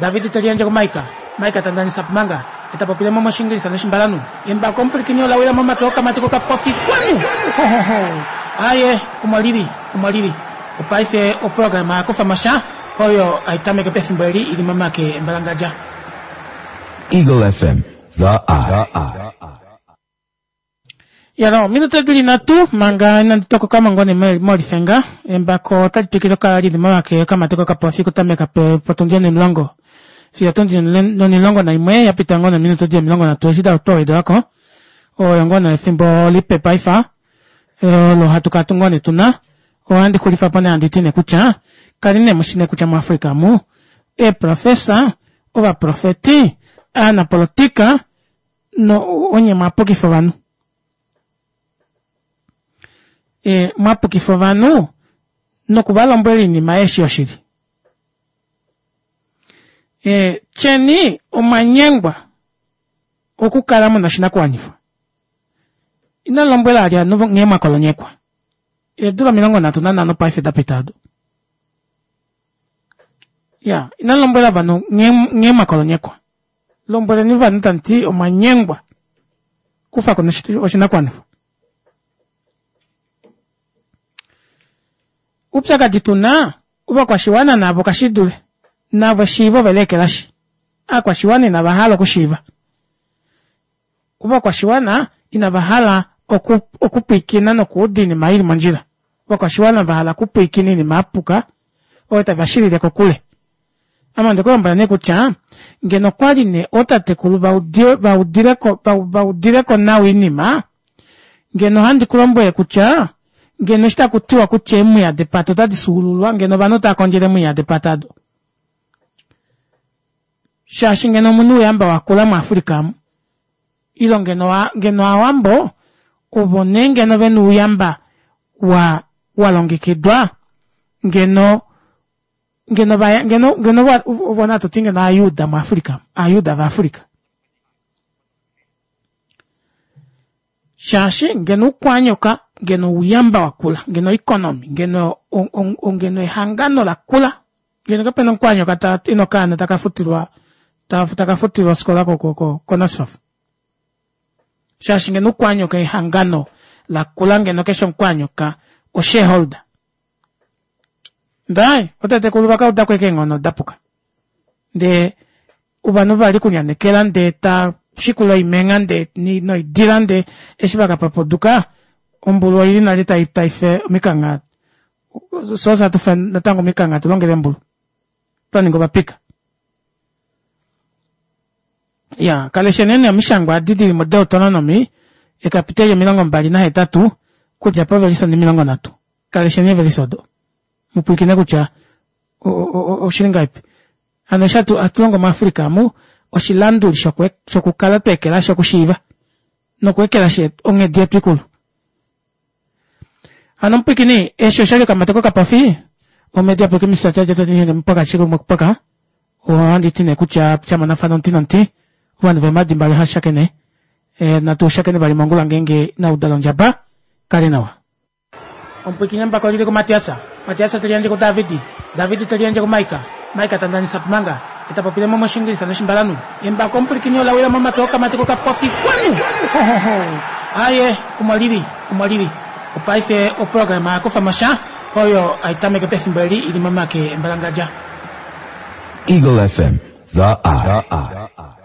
David te liyandje kuMaika, Maika ta ndanisa Pumanga, e ta popile mo mOshiingilisa nOshimbalanhu. Embako omupwilikini ola wila momake okamati kokapofi kwanu! Hohoho! Aaye, omo li li, omo li li. Opaife oprograma ya kufa mo sha, oyo hai tameke pefimbo eli i li momake embalangadja. Eagle FM, The Eye. Yala ominute dili nhatu manga inandi tokoka mo ngoo nee molifenga. Embako otali twikile okukala lili momake okamati kokapofi okutameka potundi onimulongo fiyo otundi onimulongo naimwe ya pita ngoo nee ominute dili 30 eshi twa wedelwako. Oyo ngoo nee efimbo lipe paife olo hatu kala ngoo nee tuna. Ohandi xulifa po nee handi ti nee kutya kali nee mushi nee kutya muAfrica omu eeprofesa, ovaprofeti, aanapolotika no onye mwa pukifa ovanhu e, mwa pukifa ovanhu noku va lombwela oinima eshi yoshili e, tyeni omwa nyengwa okukala muna oshinakuwanifwa ina lombwela ali ovanhu nghee mwa kolonyekwa eedula 35 paife da pita ado ya ina lombwela ovanhu nghee mwa kolonyekwa Lombweleni ovanhu tamu ti, Omwa nyengwa kufa ko oshinakuwanifwa. Oupyakadi tu na, ovakwashiwana navo kashi dule, navo eshiivo ove liekelashi. Aakwashiwana inava hala okushiiva. Ovakwashiwana inava hala okupwiikina nokuuda oinima i li mondjila. Ovakwashiwana va hala okupwiikina oinima ya puka oyo tava shilile kokule. Ame onde ku lombwela nee kutya ngeno okwa li nee ootatekulu va udile ko va udile ko nawa oinima, ngeno ohandi ku lombwele kutya ngeno eshi taku tiwa kutya eemwiya depata otadi fyuululwa, ngeno ovanhu otava kondjele eemwiya depata ado. Shaashi ngeno omu na ouyamba wa kula muAfrica amu. Ile ngeno ngeno Aawambo ovo nee ngeno ve na ouyamba wa wa longekidwa ngeno ngeno va ngeno ngeno ovo natu ti ngeno Aayuda muAfrica, Aayuda vaAfrica. Shaashi ngeno oukwanyoka ngeno ouyamba wa kula, ngeno oeconomy, ngeno ngeno ehangano la kula ngeno kapena omukwanyoka ta ina okaana taka futilwa taka futilwa ofikola koNASFAF. Shaashi ngeno oukwanyoka ehangano la kula ngeno keshe omukwanyoka oshareholder. Ndai, otatekulu vaka udako ashike eenghono da puka. Ndee ovanhu va li kunyanekela ndee ta shikula oimengha ndee noidila ndee eshi va ka papuduka ombulu oili nale tai tai fe omikangha soo hatu fe natango omikangha tu longele embulu twa ninga ovapika ya kalesheni nee omishangwa adi dili moDeuteronomy ekapiteli 28 kudja povelise 30 kalesheni evelise odo mupwiikine kutya oshili ngahelipi Hano eshi hatu, hatu longo muAfrica amu, oshilanduli shokwe, shokukala twa ekelashi okushiiva nokweekelashi onghedi yetu ikulu. Hano omupwikini, eshi osha li okamati kokapofi, omhedi ya pwikimisa tya tya tya mupaka shike mupaka, ohandi ti nee kutya sha monafana omuti nomuti, ovanhu veemhadi mbali ohava shakene, e, natu shakene vali mongula ngeenge inau dala ondjaba, kale nawa. Omupwiikini embako oli li kuMatias, Matias te liyandje kuDavid, David te liyandje kuMaika. Mike Tandanisa Pumanga eta popile mo moshingilisa noshimbalanhu. Embako omupulikini ola wila momake okamati kokapofi kwanu! Hohoho! Aye, omo lili, omo lili. Opaife oprograma ya kufa mo sha oyo hai tameke pefimbo eli i li momake embalangadja. Eagle FM, the eye.